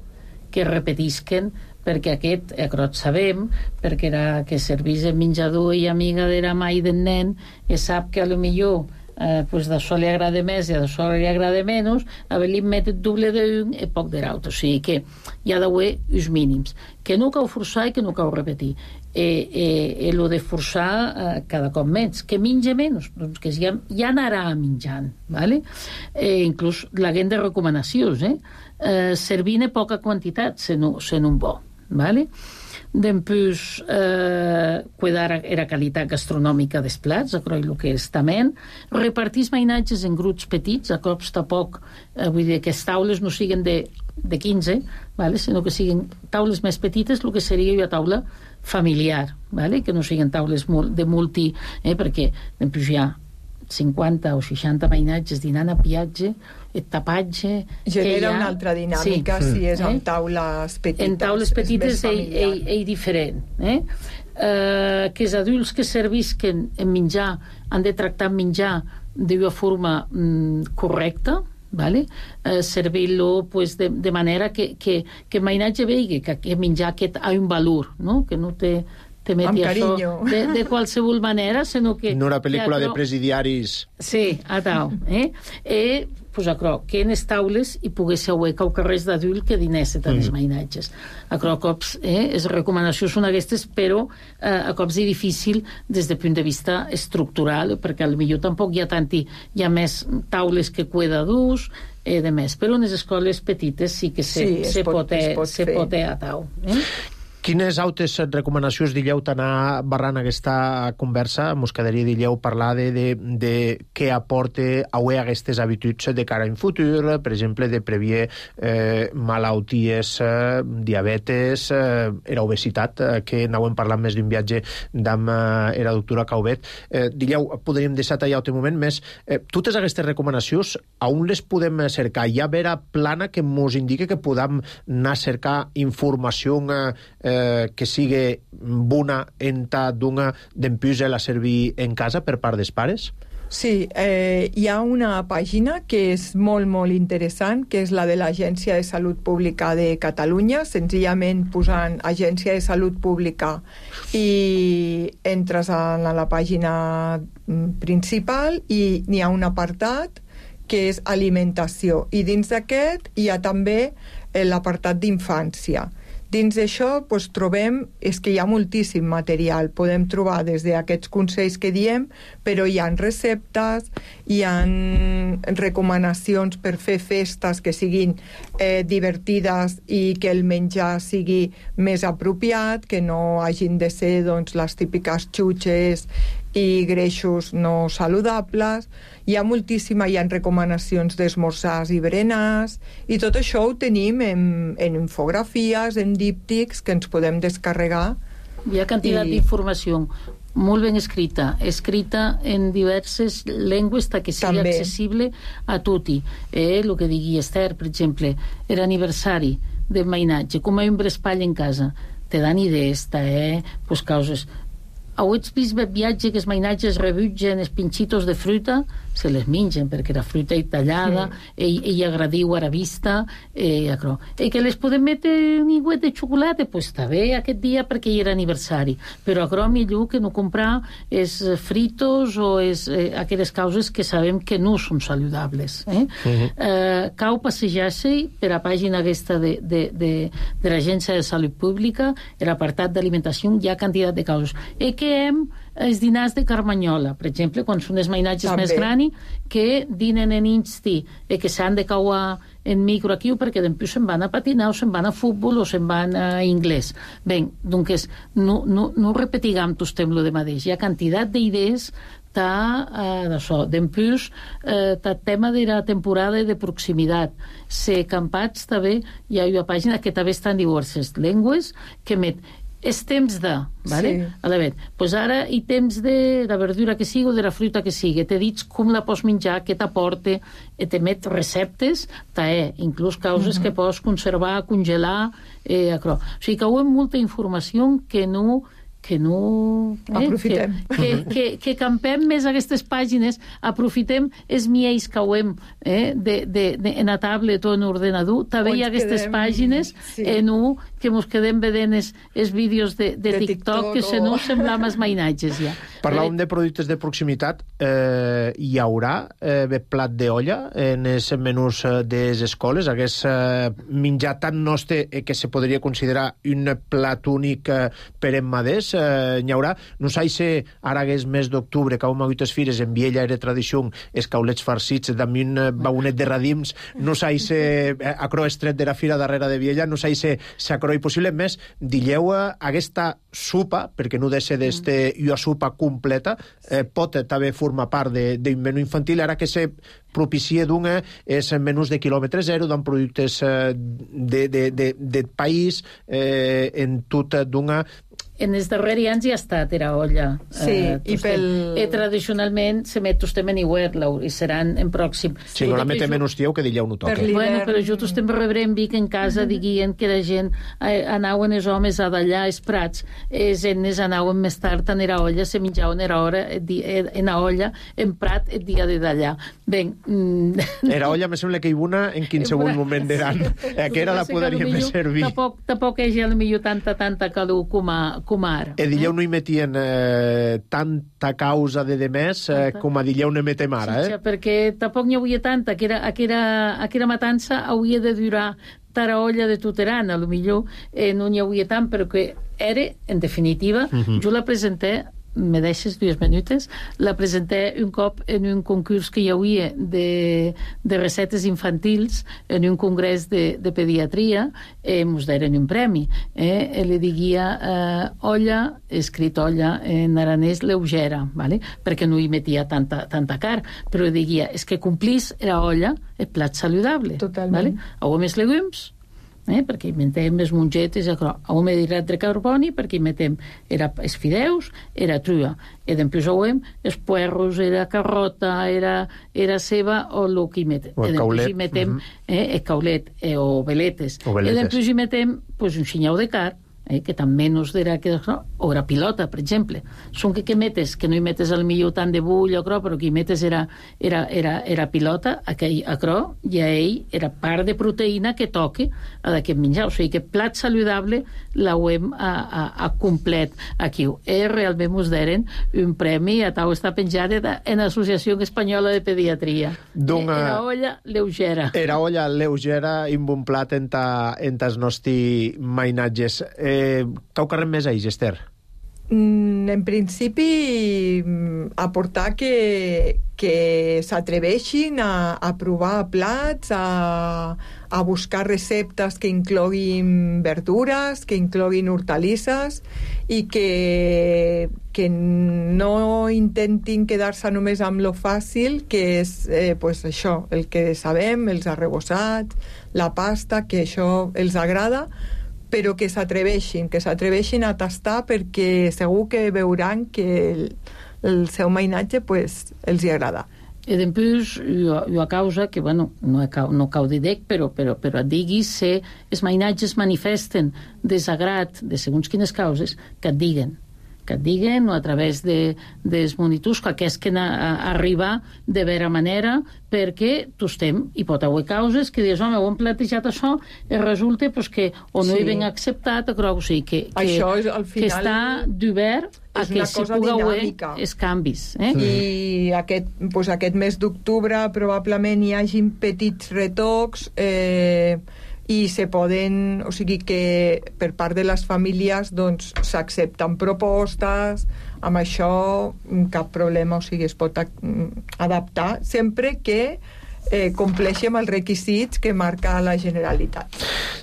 que repetisquen perquè aquest, sabem, perquè era que servís en menjador i amiga de la mai del nen i sap que a lo millor pues d'això li agrada més i d'això li agrada menys, haver-li met el doble d'un i poc de l'altre. O sigui que hi ha d'haver els mínims. Que no cau forçar i que no cau repetir. Lo de forçar cada cop menys. Que menja menys, doncs que ja anarà menjant. ¿Vale? Inclús l'haguem de recomanacions. Servint en poca quantitat, se no bo. ¿Vale? Després cuidar la qualitat gastronòmica dels plats, el que és també repartir els mainatges en grups petits, a cops tampoc vull dir que les taules no siguin de 15, ¿vale? Sinó que siguin taules més petites, el que seria una taula familiar, ¿vale? Que no siguin taules de multi, perquè després hi ha 50 o 60 mainatges dinant a piatge, el tapatge... Genera una altra dinàmica si és en taules petites. En taules petites és diferent. Que els adults que servisquen en menjar han de tractar menjar d'una forma correcta, ¿vale? Servir-lo pues, de manera que el mainatge vegi que menjar aquest ha un valor, no? Que no té amb carinyo. De qualsevol manera, sinó que... No una pel·lícula de presidiaris. Sí, a tal. Pues que en les taules hi pogués haver carrers d'adult que dinesse tant els mainatges. A cops les recomanacions són aquestes, però a cops és difícil des del punt de vista estructural, perquè potser tampoc hi ha més taules que cuidadors i de més. Però en les escoles petites sí que se pot a tau. Quines altres recomanacions diríeu d'anar barrant aquesta conversa? Mos quedaria, diríeu, parlar de què aporta avui aquestes habituds de cara en futur, per exemple, de previer malalties, diabetes, era obesitat, que n'hauem parlat més d'un viatge amb la doctora Caubet. Diríeu, podríem deixar tallar un moment més. Totes aquestes recomanacions, on les podem cercar? Hi ha vera plana que mos indique que podem anar a cercar informació que sigui bona entà d'una d'empús a servir en casa per part dels pares? Sí, hi ha una pàgina que és molt, molt interessant, que és la de l'Agència de Salut Pública de Catalunya, senzillament posant Agència de Salut Pública i entres a la pàgina principal i n'hi ha un apartat que és alimentació, i dins d'aquest hi ha també l'apartat d'infància. Dins d'això trobem que hi ha moltíssim material. Podem trobar des d'aquests consells que diem, però hi ha receptes, hi ha recomanacions per fer festes que siguin divertides i que el menjar sigui més apropiat, que no hagin de ser les típiques xutxes i greixos no saludables. Hi ha recomanacions d'esmorzars i berenars, i tot això ho tenim en infografies, en díptics, que ens podem descarregar. Hi ha quantitat d'informació molt ben escrita en diverses llengües que sigui accessible a tutti. El que digui Esther, per exemple, l'aniversari del mainatge, com un brespall en casa, te dan idees, causes. heu vist el viatge que els mainatges rebutgen els pinxitos de fruita? Se les mengen, perquè era fruita tallada, i agradiu a la vista, i que les podem metre un iguet de xocolata, pues està bé aquest dia perquè hi era aniversari, però millor que no comprar els fritos o aquelles causes que sabem que no són saludables. Cau passejar-se per la pàgina aquesta de l'Agència de Salut Pública, l'apartat d'alimentació, hi ha quantitat de causes. I que els dinars de Carmanyola, per exemple, quan són els mainatges més grans, que dinen en insti i que s'han de cauar en micro aquí perquè després se'n van a patinar o se'n van a futbol o se'n van a anglès. Bé, doncs no repetigam tot lo de mateix. Hi ha quantitat d'idees d'això. Després, el tema de la temporada de proximitat. Se campats també, hi ha una pàgina que també està en diverses llengües que met és temps de, vale? Pues ara hi temps de la verdura que sigui o de la fruita que sigui, t'he dit com la pots menjar, què t'aporta, t'emet receptes, inclús causes que pots conservar, congelar, o sigui que hi ha molta informació que no aprofitem. Que campem més aquestes pàgines, aprofitem els miells que hem en a tablet o en ordenador, també hi ha aquestes pàgines que ens quedem vedent els vídeos de TikTok que se no semblam els mainatges ja. Parlàvem de productes de proximitat, hi haurà plat d'olla en els menús de les escoles, hagués menjar tan nostre que se podria considerar un plat únic per emmaders, n'hi haurà. No sé si ara hagués mes d'octubre, que hem hagut les fires, en Viella era tradició, els caulets farcits amb un baunet de radims, no sé si acro estret de la fira darrere de Viella, no sé si acroi possible, més dilleu aquesta sopa, perquè no deixa d'este una sopa completa, pot també formar part d'un menú infantil, ara que se propicia d'una és menús de quilòmetre zero, d'en productes de país, en tot d'una... En els darrers anys hi ha estat la olla. I tradicionalment se met tostem en iguer, i seran en pròxim. Si no la metem en hostieu, que dilleu no toca. Bueno, però jo tostem rebrem Vic en casa diguien que la gent anaven els homes a dallar els prats, els enes anaven més tard en la olla, se menjaven en la olla, en prat el dia de dallar. Ben... La olla me sembla que hi una en qualsevol moment d'eran. Aquera la podríem servir. Tampoc hi ha millor tanta calor com ara. Dilleu no hi metien tanta causa de demés com a dilleu ne metem ara, Sí, perquè tampoc n'hi havia tanta, que era matança hauria de durar tara olla de Tuteran, a lo millor no n'hi havia tant, però que era, en definitiva, jo la presenté, me deixes 2 minutes, la presenté un cop en un concurs que hi havia de recetes infantils en un congrés de pediatria, ens deren un premi. Li diguia olla, escrit olla en aranès lleugera, ¿vale? Perquè no hi metia tanta car, però diguia, és que complís la olla el plat saludable. Totalment. ¿vale? Hau més legumes, perquè hi metem les mongetes, hau més hidrat de carboni, perquè hi metem els fideus, era trua, i després hauem els puerros, era carrota, era ceba, o el que hi metem. O el caulet. Hi metem el caulet, o veletes. I després hi metem un xinyau de carn, que també no es dirà que... O la pilota, per exemple. Són que metes, que no hi metes al millor tant de bull o cro, però que hi metes era pilota, i a ell era part de proteïna que toque a d'aquest menjar. O sigui que plat saludable l'hauem a complet aquí. Realment us deren un premi, a tau està penjat en l'Associació Espanyola de Pediatria. Era olla lleugera. Era olla lleugera i un bon plat en els nostres mainatges. Cau carrem més a ells, Esther? En principi, aportar que s'atreveixin a provar plats, a buscar receptes que incloguin verdures, que incloguin hortalisses i que no intentin quedar-se només amb lo fàcil, que és això, el que sabem, els arrebossats, la pasta, que això els agrada, però que s'atreveixin a tastar, perquè segur que veuran que el seu mainatge els hi agrada. I després, a causa que, no cau d'idec, però et diguis si els mainatges manifesten desagrat de segons quines causes, que et diguen. que et diguen, o a través dels monitors, que aquests que arribar de vera manera, perquè tu estem, hi pot haver causes que dius, home, ho hem plantejat això, i resulta que o no hi ben acceptat, o sigui, que això és, al final, que està d'obert a que s'hi pugui haver els canvis. I aquest mes d'octubre probablement hi hagin petits retocs i se poden, o sigui que per part de les famílies doncs s'accepten propostes, amb això cap problema, o sigui, es pot adaptar sempre que compleixem els requisits que marca la Generalitat.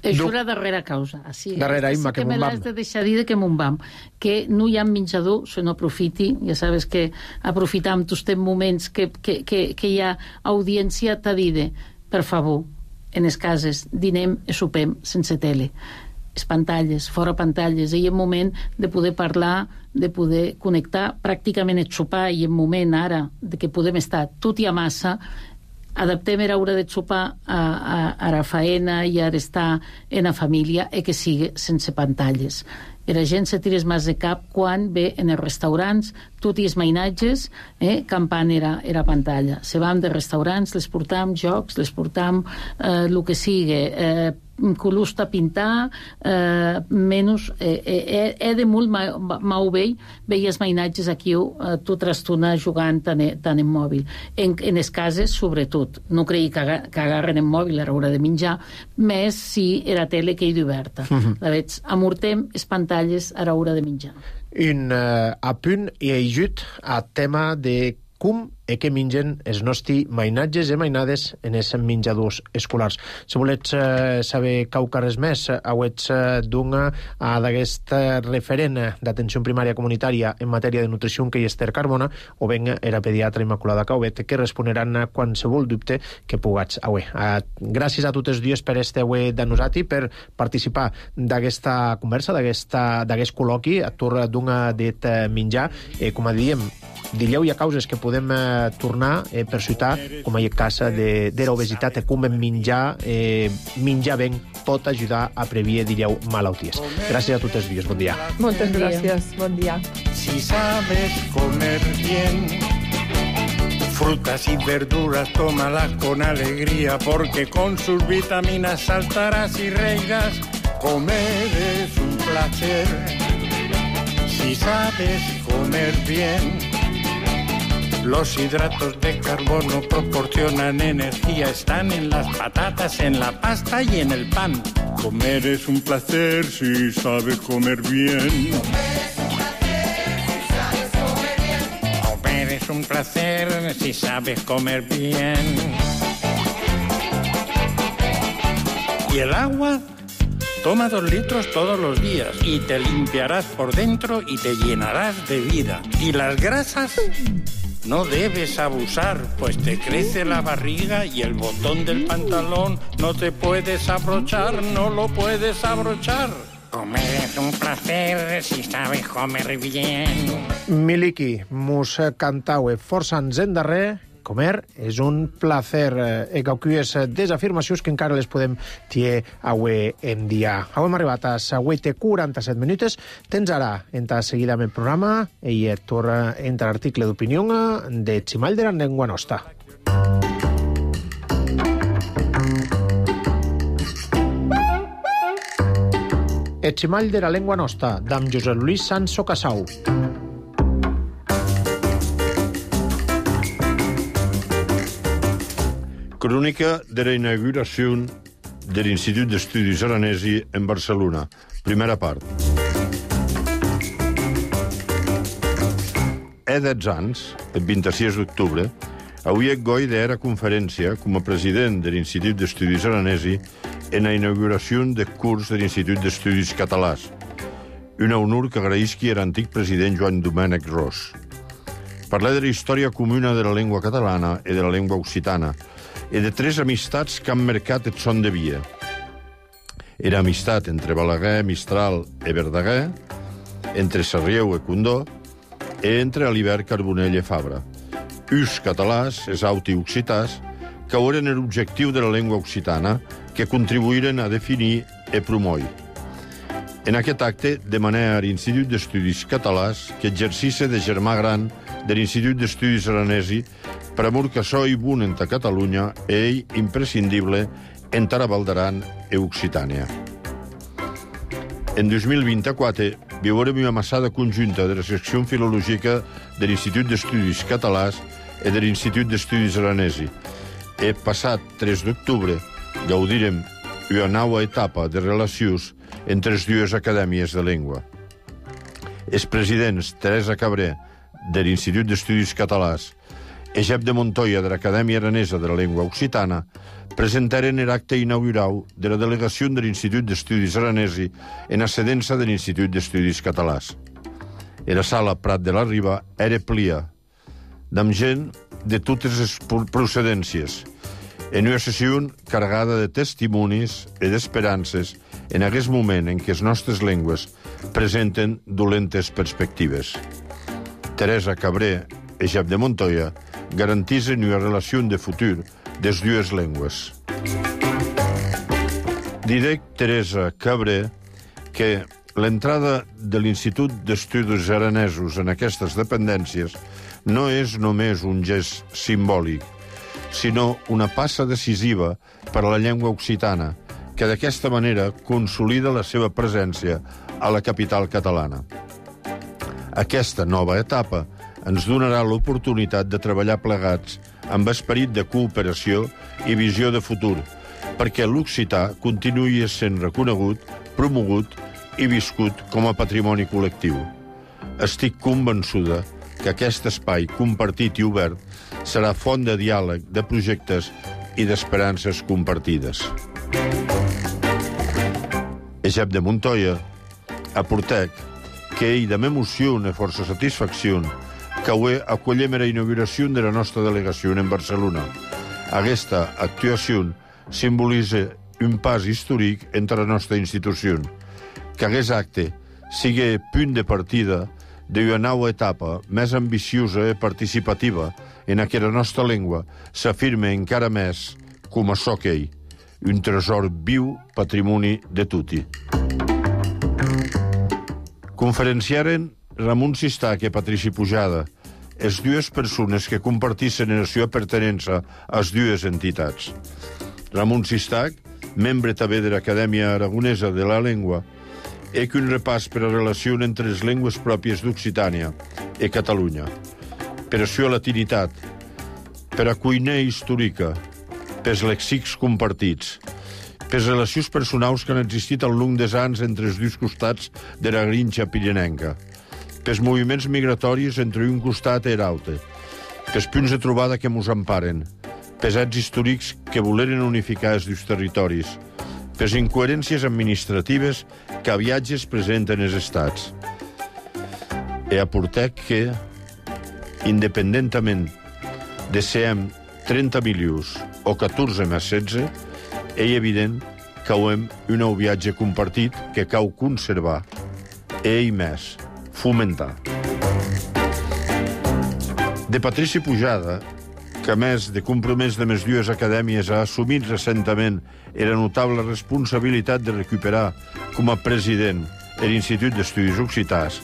Això era darrera causa. Darrera, Imma, que me l'has de deixar dir que m'on vam. Que no hi ha menjador, se no aprofiti. Ja sabes que aprofitam tots els moments que hi ha audiència t'ha dit, per favor, en les cases, dinem i sopem sense tele. Les pantalles, fora pantalles, i en moment de poder parlar, de poder connectar pràcticament el sopar, i en moment ara de que podem estar tot i a massa, adaptem a l'hora de sopar a la faena i a estar en la família i que sigui sense pantalles. La gent se tires més de cap quan ve en els restaurants, tot i els mainatges, campant era pantalla. Se vam de restaurants, les portam jocs, les portam el que sigui, colusta pintar, menys... de molt mau vell, veies mainatges aquí tota l'estona jugant tant en mòbil. En les cases, sobretot. No creï que agarren en mòbil a l'hora de menjar, més si era tele que hi d'oberta. La veig, amortem les pantalles a l'hora de menjar. Un apunt i ajut a tema de com e què mengen els nostres mainatges i mainades en els menjadors escolars. Si volets saber res més, hauets d'una d'aquest referent d'atenció primària comunitària en matèria de nutrició, que és Esther Carbona, o ben era pediatra Immaculada Cauvet, que responeran a qualsevol dubte que pugats haver. Gràcies a tots els dies per este avui de nosaltres, per participar d'aquesta conversa, d'aquest col·loqui, a torn d'una dit menjar. Com diem, dileu hi ha causes que podem tornar per ciutar, com hi ha cas de l'obesitat, com menjar ben pot ajudar a prevenir, dileu, malalties. Gràcies a tots els dies, bon dia. Moltes gràcies, bon dia. Si sabes comer bien, frutas y verduras, tómalas con alegría, porque con sus vitaminas saltarás y reirás. Comer es un placer. Si sabes comer bien, los hidratos de carbono proporcionan energía, están en las patatas, en la pasta y en el pan. Comer es un placer si sabes comer bien. Comer es un placer si sabes comer bien. ¿Y el agua? Toma 2 litros todos los días y te limpiarás por dentro y te llenarás de vida. ¿Y las grasas? No debes abusar, pues te crece la barriga y el botón del pantalón no te puedes abrochar, no lo puedes abrochar. Comer es un placer si sabes comer bien. Miliki, mos cantaue força ens endarrer. Comer és un placer. Cauquies desafirmacions que encara les podem tier avui en dia. Avui hem arribat a 7:47 minuts. Tens ara, entra seguida amb el programa, i torna entra l'article d'opinió de Chimalder en llengua nostra. El Chimalder a llengua nostra, d'en Josep Luis Sanso Casau. Crònica de la inauguració de l'Institut d'Estudis Aranesi en Barcelona. Primera part. He 10 anys, el 26 d'octubre, avui goi d'era conferència com a president de l'Institut d'Estudis Aranesi en la inauguració del curs de l'Institut d'Estudis Catalans. Un honor que agraïsqui l'antic president Joan Domènec Ros. Parlar de la història comuna de la llengua catalana i de la llengua occitana, i de 3 amistats que han marcat el son de via. Era amistat entre Balaguer, Mistral i Verdaguer, entre Sarrieu i Condó, i entre Alibert, Carbonell i Fabra. Us catalans, es auti occitans, que eren l'objectiu de la llengua occitana, que contribuïren a definir i promoure. En aquest acte demané a l'Institut d'Estudis Catalans que exercisse de germà gran de l'Institut d'Estudis Aranesi per amor que so i bon enta Catalunya e ell imprescindible entara Val d'Aran e Occitània. En 2024 viurem una amassada conjunta de la secció filològica de l'Institut d'Estudis Catalans i de l'Institut d'Estudis Aranesi. E passat 3 d'octubre gaudirem una nova etapa de relacions entre les dues acadèmies de llengua. Els presidents Teresa Cabré, de l'Institut d'Estudis Catalans, i Jep de Montoya, de l'Acadèmia Aranesa de la Llengua Occitana, presentaren l'acte inaugural de la delegació de l'Institut d'Estudis Aranesi en ascedença de l'Institut d'Estudis Catalans. La sala Prat de la Riba era plia, amb gent de totes les procedències, en una sessió carregada de testimonis i d'esperances en aquest moment en què les nostres llengües presenten dolentes perspectives. Teresa Cabré i Jep de Montoya garantitzen una relació de futur de les dues llengües. Diré, Teresa Cabré, que l'entrada de l'Institut d'Estudis Aranesos en aquestes dependències no és només un gest simbòlic, sinó una passa decisiva per a la llengua occitana, que d'aquesta manera consolida la seva presència a la capital catalana. Aquesta nova etapa ens donarà l'oportunitat de treballar plegats amb esperit de cooperació i visió de futur, perquè l'occità continuï sent reconegut, promogut i viscut com a patrimoni col·lectiu. Estic convençuda que aquest espai compartit i obert serà font de diàleg, de projectes i d'esperances compartides. Jep de Montoya aportec que ell de m'emoció i força satisfacció que avui acollem la inauguració de la nostra delegació en Barcelona. Aquesta actuació simbolitza un pas històric entre la nostra institució. Que aquest acte sigui punt de partida d'una nova etapa més ambiciosa i participativa en què la nostra llengua s'afirma encara més com a so que ell, un tresor viu patrimoni de tutti. Conferenciaren Ramon Sistac i Patrici Pujada, les dues persones que compartissin la seva pertinença a les dues entitats. Ramon Sistac, membre també de l'Acadèmia Aragonesa de la Llengua, és un repàs per a la relació entre les llengües pròpies d'Occitània i Catalunya, per la seva latinitat, per a cuiner històrica, pels lèxics compartits, per les relacions personals que han existit al llarg dels anys entre els dos costats de la Garrinxa pirinenca, pels moviments migratoris entre un costat i l'altre, pels punts de trobada que mos emparen, pels actes històrics que voleren unificar els dos territoris, per les incoherències administratives que a viatges presenten els estats. E aportec que, independentament de si hem 30 milions o 14 més 16, és evident que hem un nou viatge compartit que cal conservar i més fomentar. De Patrici Pujada, que a més de compromès de les dues acadèmies ha assumit recentment la notable responsabilitat de recuperar com a president l'Institut d'Estudis Occitans,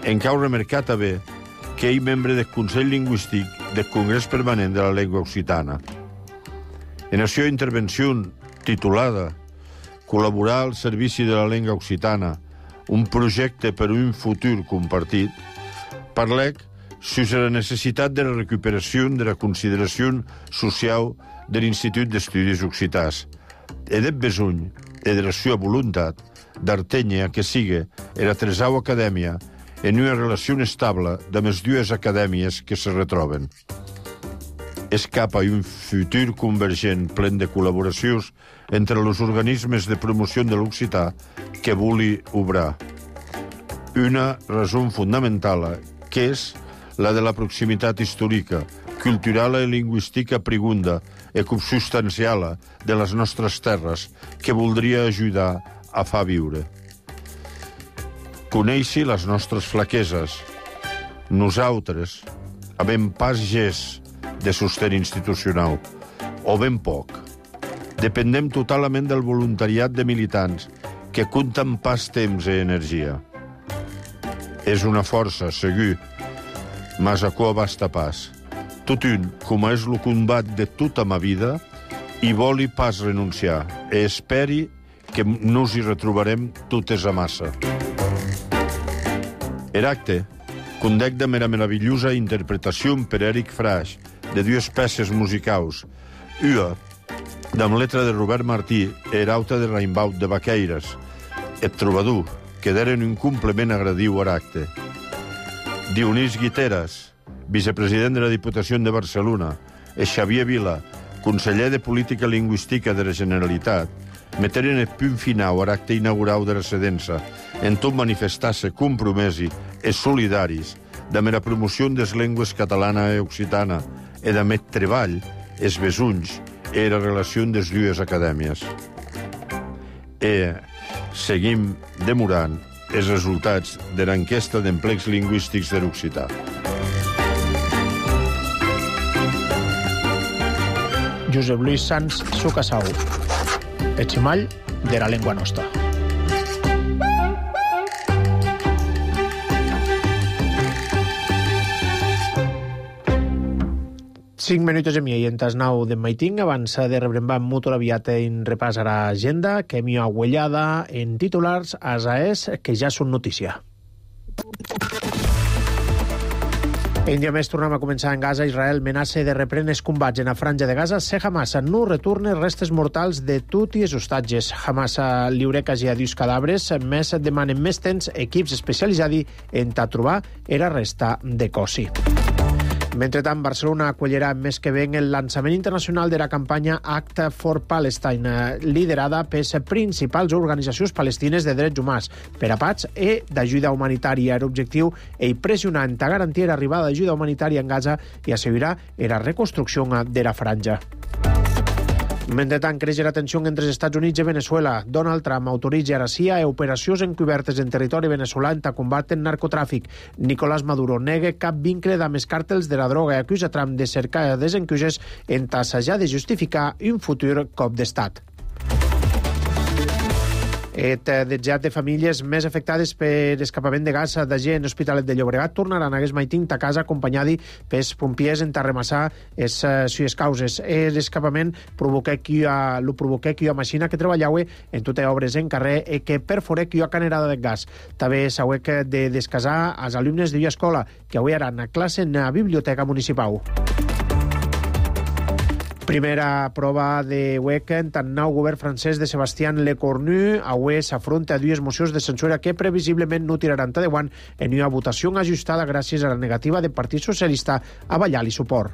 en cau remarcat també que ell membre del Consell Lingüístic del Congrés Permanent de la Llengua Occitana. En la seva intervenció titulada Col·laborar al servici de la llengua occitana, un projecte per un futur compartit, parlec sobre la necessitat de la recuperació de la consideració social de l'Institut d'Estudis Occitans i del besoll i de la seva voluntat d'artenya que sigui la tresau acadèmia en una relació estable de les dues acadèmies que se retroben. És cap a un futur convergent plen de col·laboracions entre els organismes de promoció de l'occità que vulgui obrar. Una raó fundamental que és la de la proximitat històrica, cultural i lingüística prigunda i substancial de les nostres terres que voldria ajudar a fer viure. Coneixi les nostres flaqueses. Nosaltres, a ben pas gest de sostén institucional, o ben poc, dependem totalment del voluntariat de militants que compten pas temps i energia. És una força, segur, mas aquò basta pas. Tot un, com és el combat de tota ma vida, i voli pas renunciar, e esperi que nos hi retrobarem totes a massa. Eracte, condec de mera meravellosa interpretació per Eric Fraix, de dues peces musicals. Una, amb letra de Robert Martí, erauta de Raimbaut de Baqueires, et trobador, que deren un complement agradiu a l'acte. Dionís Guiteras, vicepresident de la Diputació de Barcelona, e Xavier Vila, conseller de Política Lingüística de la Generalitat, meteren el punt final a l'acte inaugural de la sedença, en tot manifestar-se compromesi e solidaris de la promoció de les llengües catalana i occitana e de met treball, els besunys e la relació de les dues acadèmies. E seguim demorant els resultats de l'enquesta d'emplecs lingüístics de l'occità. Josep Luis Sans Sucasau, el ximall de la llengua nostra. Cinc minuts i mig en tas 9 de maiting, abans de rebre en molt aviat en repàs a l'agenda, que m'hi ha huellada en titulars a SAES, que ja són notícia. Un dia més tornem a començar en Gaza. Israel menaça de reprendre els combats en la franja de Gaza si Hamas no retorna restes mortals de tot i els hostatges. Hamas lliure quasi a 10 cadàvers, més demanen més temps equips especialitzats en trobar la resta de cossi. Mentrestant, Barcelona acollirà més que ben el lançament internacional de la campanya Act for Palestine, liderada per les principals organitzacions palestines de drets humans, per a pats i d'ajuda humanitària. L'objectiu és pressionar a garantir l'arribada d'ajuda humanitària en Gaza i assegurar la reconstrucció de la franja. Mentrestant, creix la tensió entre els Estats Units i Venezuela. Donald Trump autoritza a la CIA operacions encobertes en territori veneçolà per combatre el narcotràfic. Nicolás Maduro nega cap vincle amb els càrtels de la droga i acusa Trump de cercar desencuixes en assajar de justificar un futur cop d'estat. Desjat de famílies més afectades per escapament de gas de gent Hospitalet de Llobregat tornaran a aquest maiting a casa acompanyadi pels pompiers en tarremassar les causes. L'escapament provoqué que hi ha màquina que treballava en totes obres en carrer i que perforé que hi ha canerada de gas. També s'ha de descasar als alumnes d'una escola que avui aran a classe en la biblioteca municipal. Primera prova de WEC en tant nou govern francès de Sébastien Lecornu. Avui s'afronta a dues mocions de censura que previsiblement no tiraran endavant en una votació ajustada gràcies a la negativa del Partit Socialista a ballar-li suport.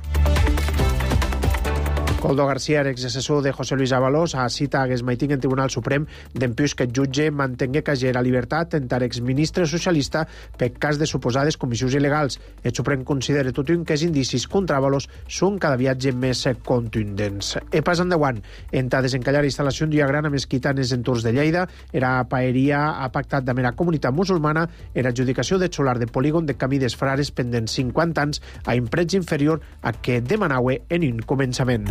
Coldo García, exassessor de José Luis Ábalos, cita a Gesmaiting en Tribunal Suprem d'empús que el jutge mantengué cager la llibertat entre exministre socialista per cas de suposades comissions il·legals. El Suprem considera tot un que els indicis contra Ábalos són cada viatge més contundents. E pas endavant, en desencallar la instal·lació d'una gran mesquita en els entorns de Lleida, la paeria ha pactat amb la comunitat musulmana en l'adjudicació de solar de polígon de Camí des Frares pendent 50 anys a un preu inferior a que demanava en un començament.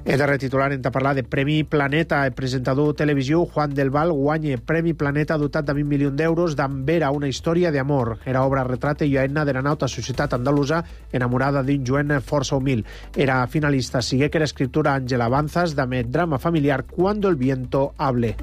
El darrer titular en parlar de Premi Planeta. El presentador televisiu Juan del Val guanya Premi Planeta dotat de 20 milions d'euros d'Ambera, una història d'amor. Era obra retrata i aena de la nauta societat andalusa enamorada d'un joven força humil. Era finalista sigué que era escriptura Ángela Avanzas d'Amet drama familiar Cuando el viento hable.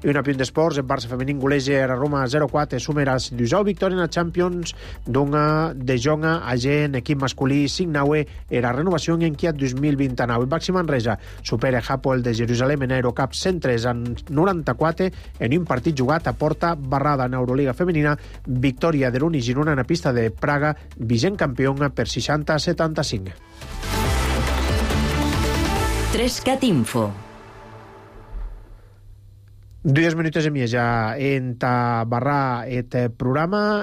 I un apunt d'esports, el Barça femení goleja a Roma 0-4, sumera la 12ª victòria en la Champions de Jonga a en equip masculí 5-9 era renovació en Kiat 2029. El Baxi Manresa supera Hapoel de Jerusalem en Eurocup 103-94 en un partit jugat a porta barrada en Euroliga femenina, victòria de l'Uni Girona en la pista de Praga, vigent campió per 60-75. 3CAT Info. 2 minutos e mieja enta barra et programa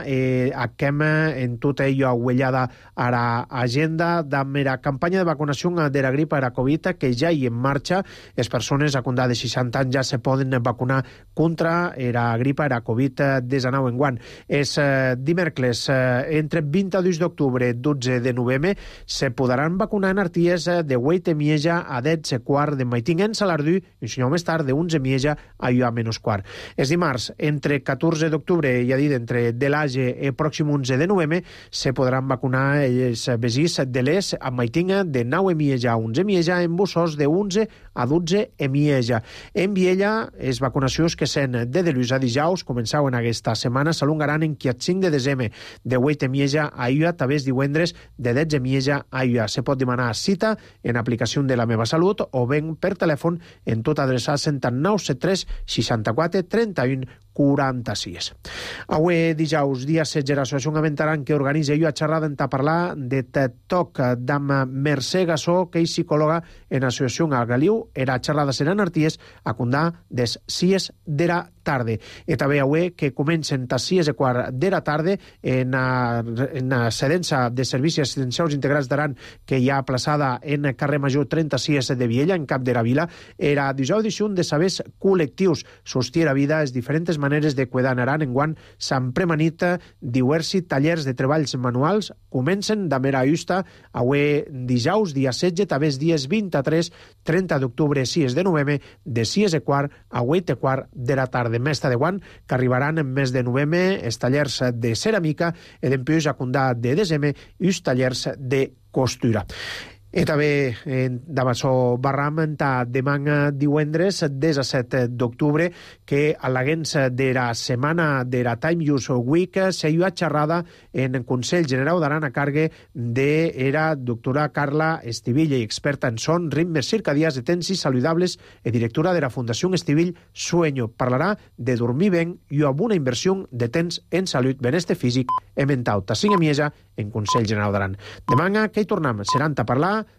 aquem en tota ello ahuellada a la agenda damb era campanya de vacunació de la gripa era Covid que ja hi en marxa. Les persones a condar de 60 anys ja se poden vacunar contra la gripa era Covid-19 enguant. És dimecres entre 22 d'octubre i 12 de novembre se podran vacunar en arties de 8 e mieja a 10 e quart de maiting en Salardú i un senyor més tard de 11 e mieja a menys quart. És dimarts, entre 14 d'octubre, ja dit, entre de l'Age i pròxim 11 de novembre, se podran vacunar els vesís de l'Es a Maitinga de 9 e mieja a 11 e mieja, en Bussos de 11 a 12 e mieja. En Viella, les vacunacions que sen de dilluns a dijous començaven aquesta setmana s'alongaran en 5 de desembre, de 8 e mieja a Iua, també divendres de 10 e mieja a Iua. Se pot demanar cita en aplicació de La Meva Salut o ben per telèfon en tot adreçar 973 64 31 46. Avui dijous, dia 16, l'associació Aventaran que organitza a xerrada en parlar de TED-Talk d'am Mercè Gassó, que és psicòloga en l'associació Algaliu. Era xerrada seran arties a condar des 6 de la tarde. I també avui que comencen a 6 e quart de la tarde en la cedença de servicis assistencials integrats d'Aran que hi ha plaçada en carrer Major 36 de Viella, en Cap de la Vila, era dijous edició de sabers col·lectius. Sostir a vida les diferents maneres de cuidar en Aran enguant s'han premanit diversos tallers de treballs manuals. Comencen de mera justa avui dijous, dia 16, també dies 23, 30 d'octubre, 6 de novembre, de 6 e quart a 8 e quart de la tarda. Més de guant que arribaran en mes de novembre els tallers de ceràmica i d'empius a condar de desembre i els tallers de costura. I també d'Amassó Barram demà divendres 17 d'octubre que a l'agents de la setmana de la Time Use Week s'hi ha xerrada en el Consell General d'Aran a càrrec de la doctora Carla Estivilla, experta en son, ritmes circadians de temps i saludables i directora de la Fundació Estivill Sueño. Parlarà de dormir ben i amb una inversió de temps en salut, benestar físic i mental. Ta 5 e mieja en Consell General d'Aran. Demà que hi tornem, seran a parlar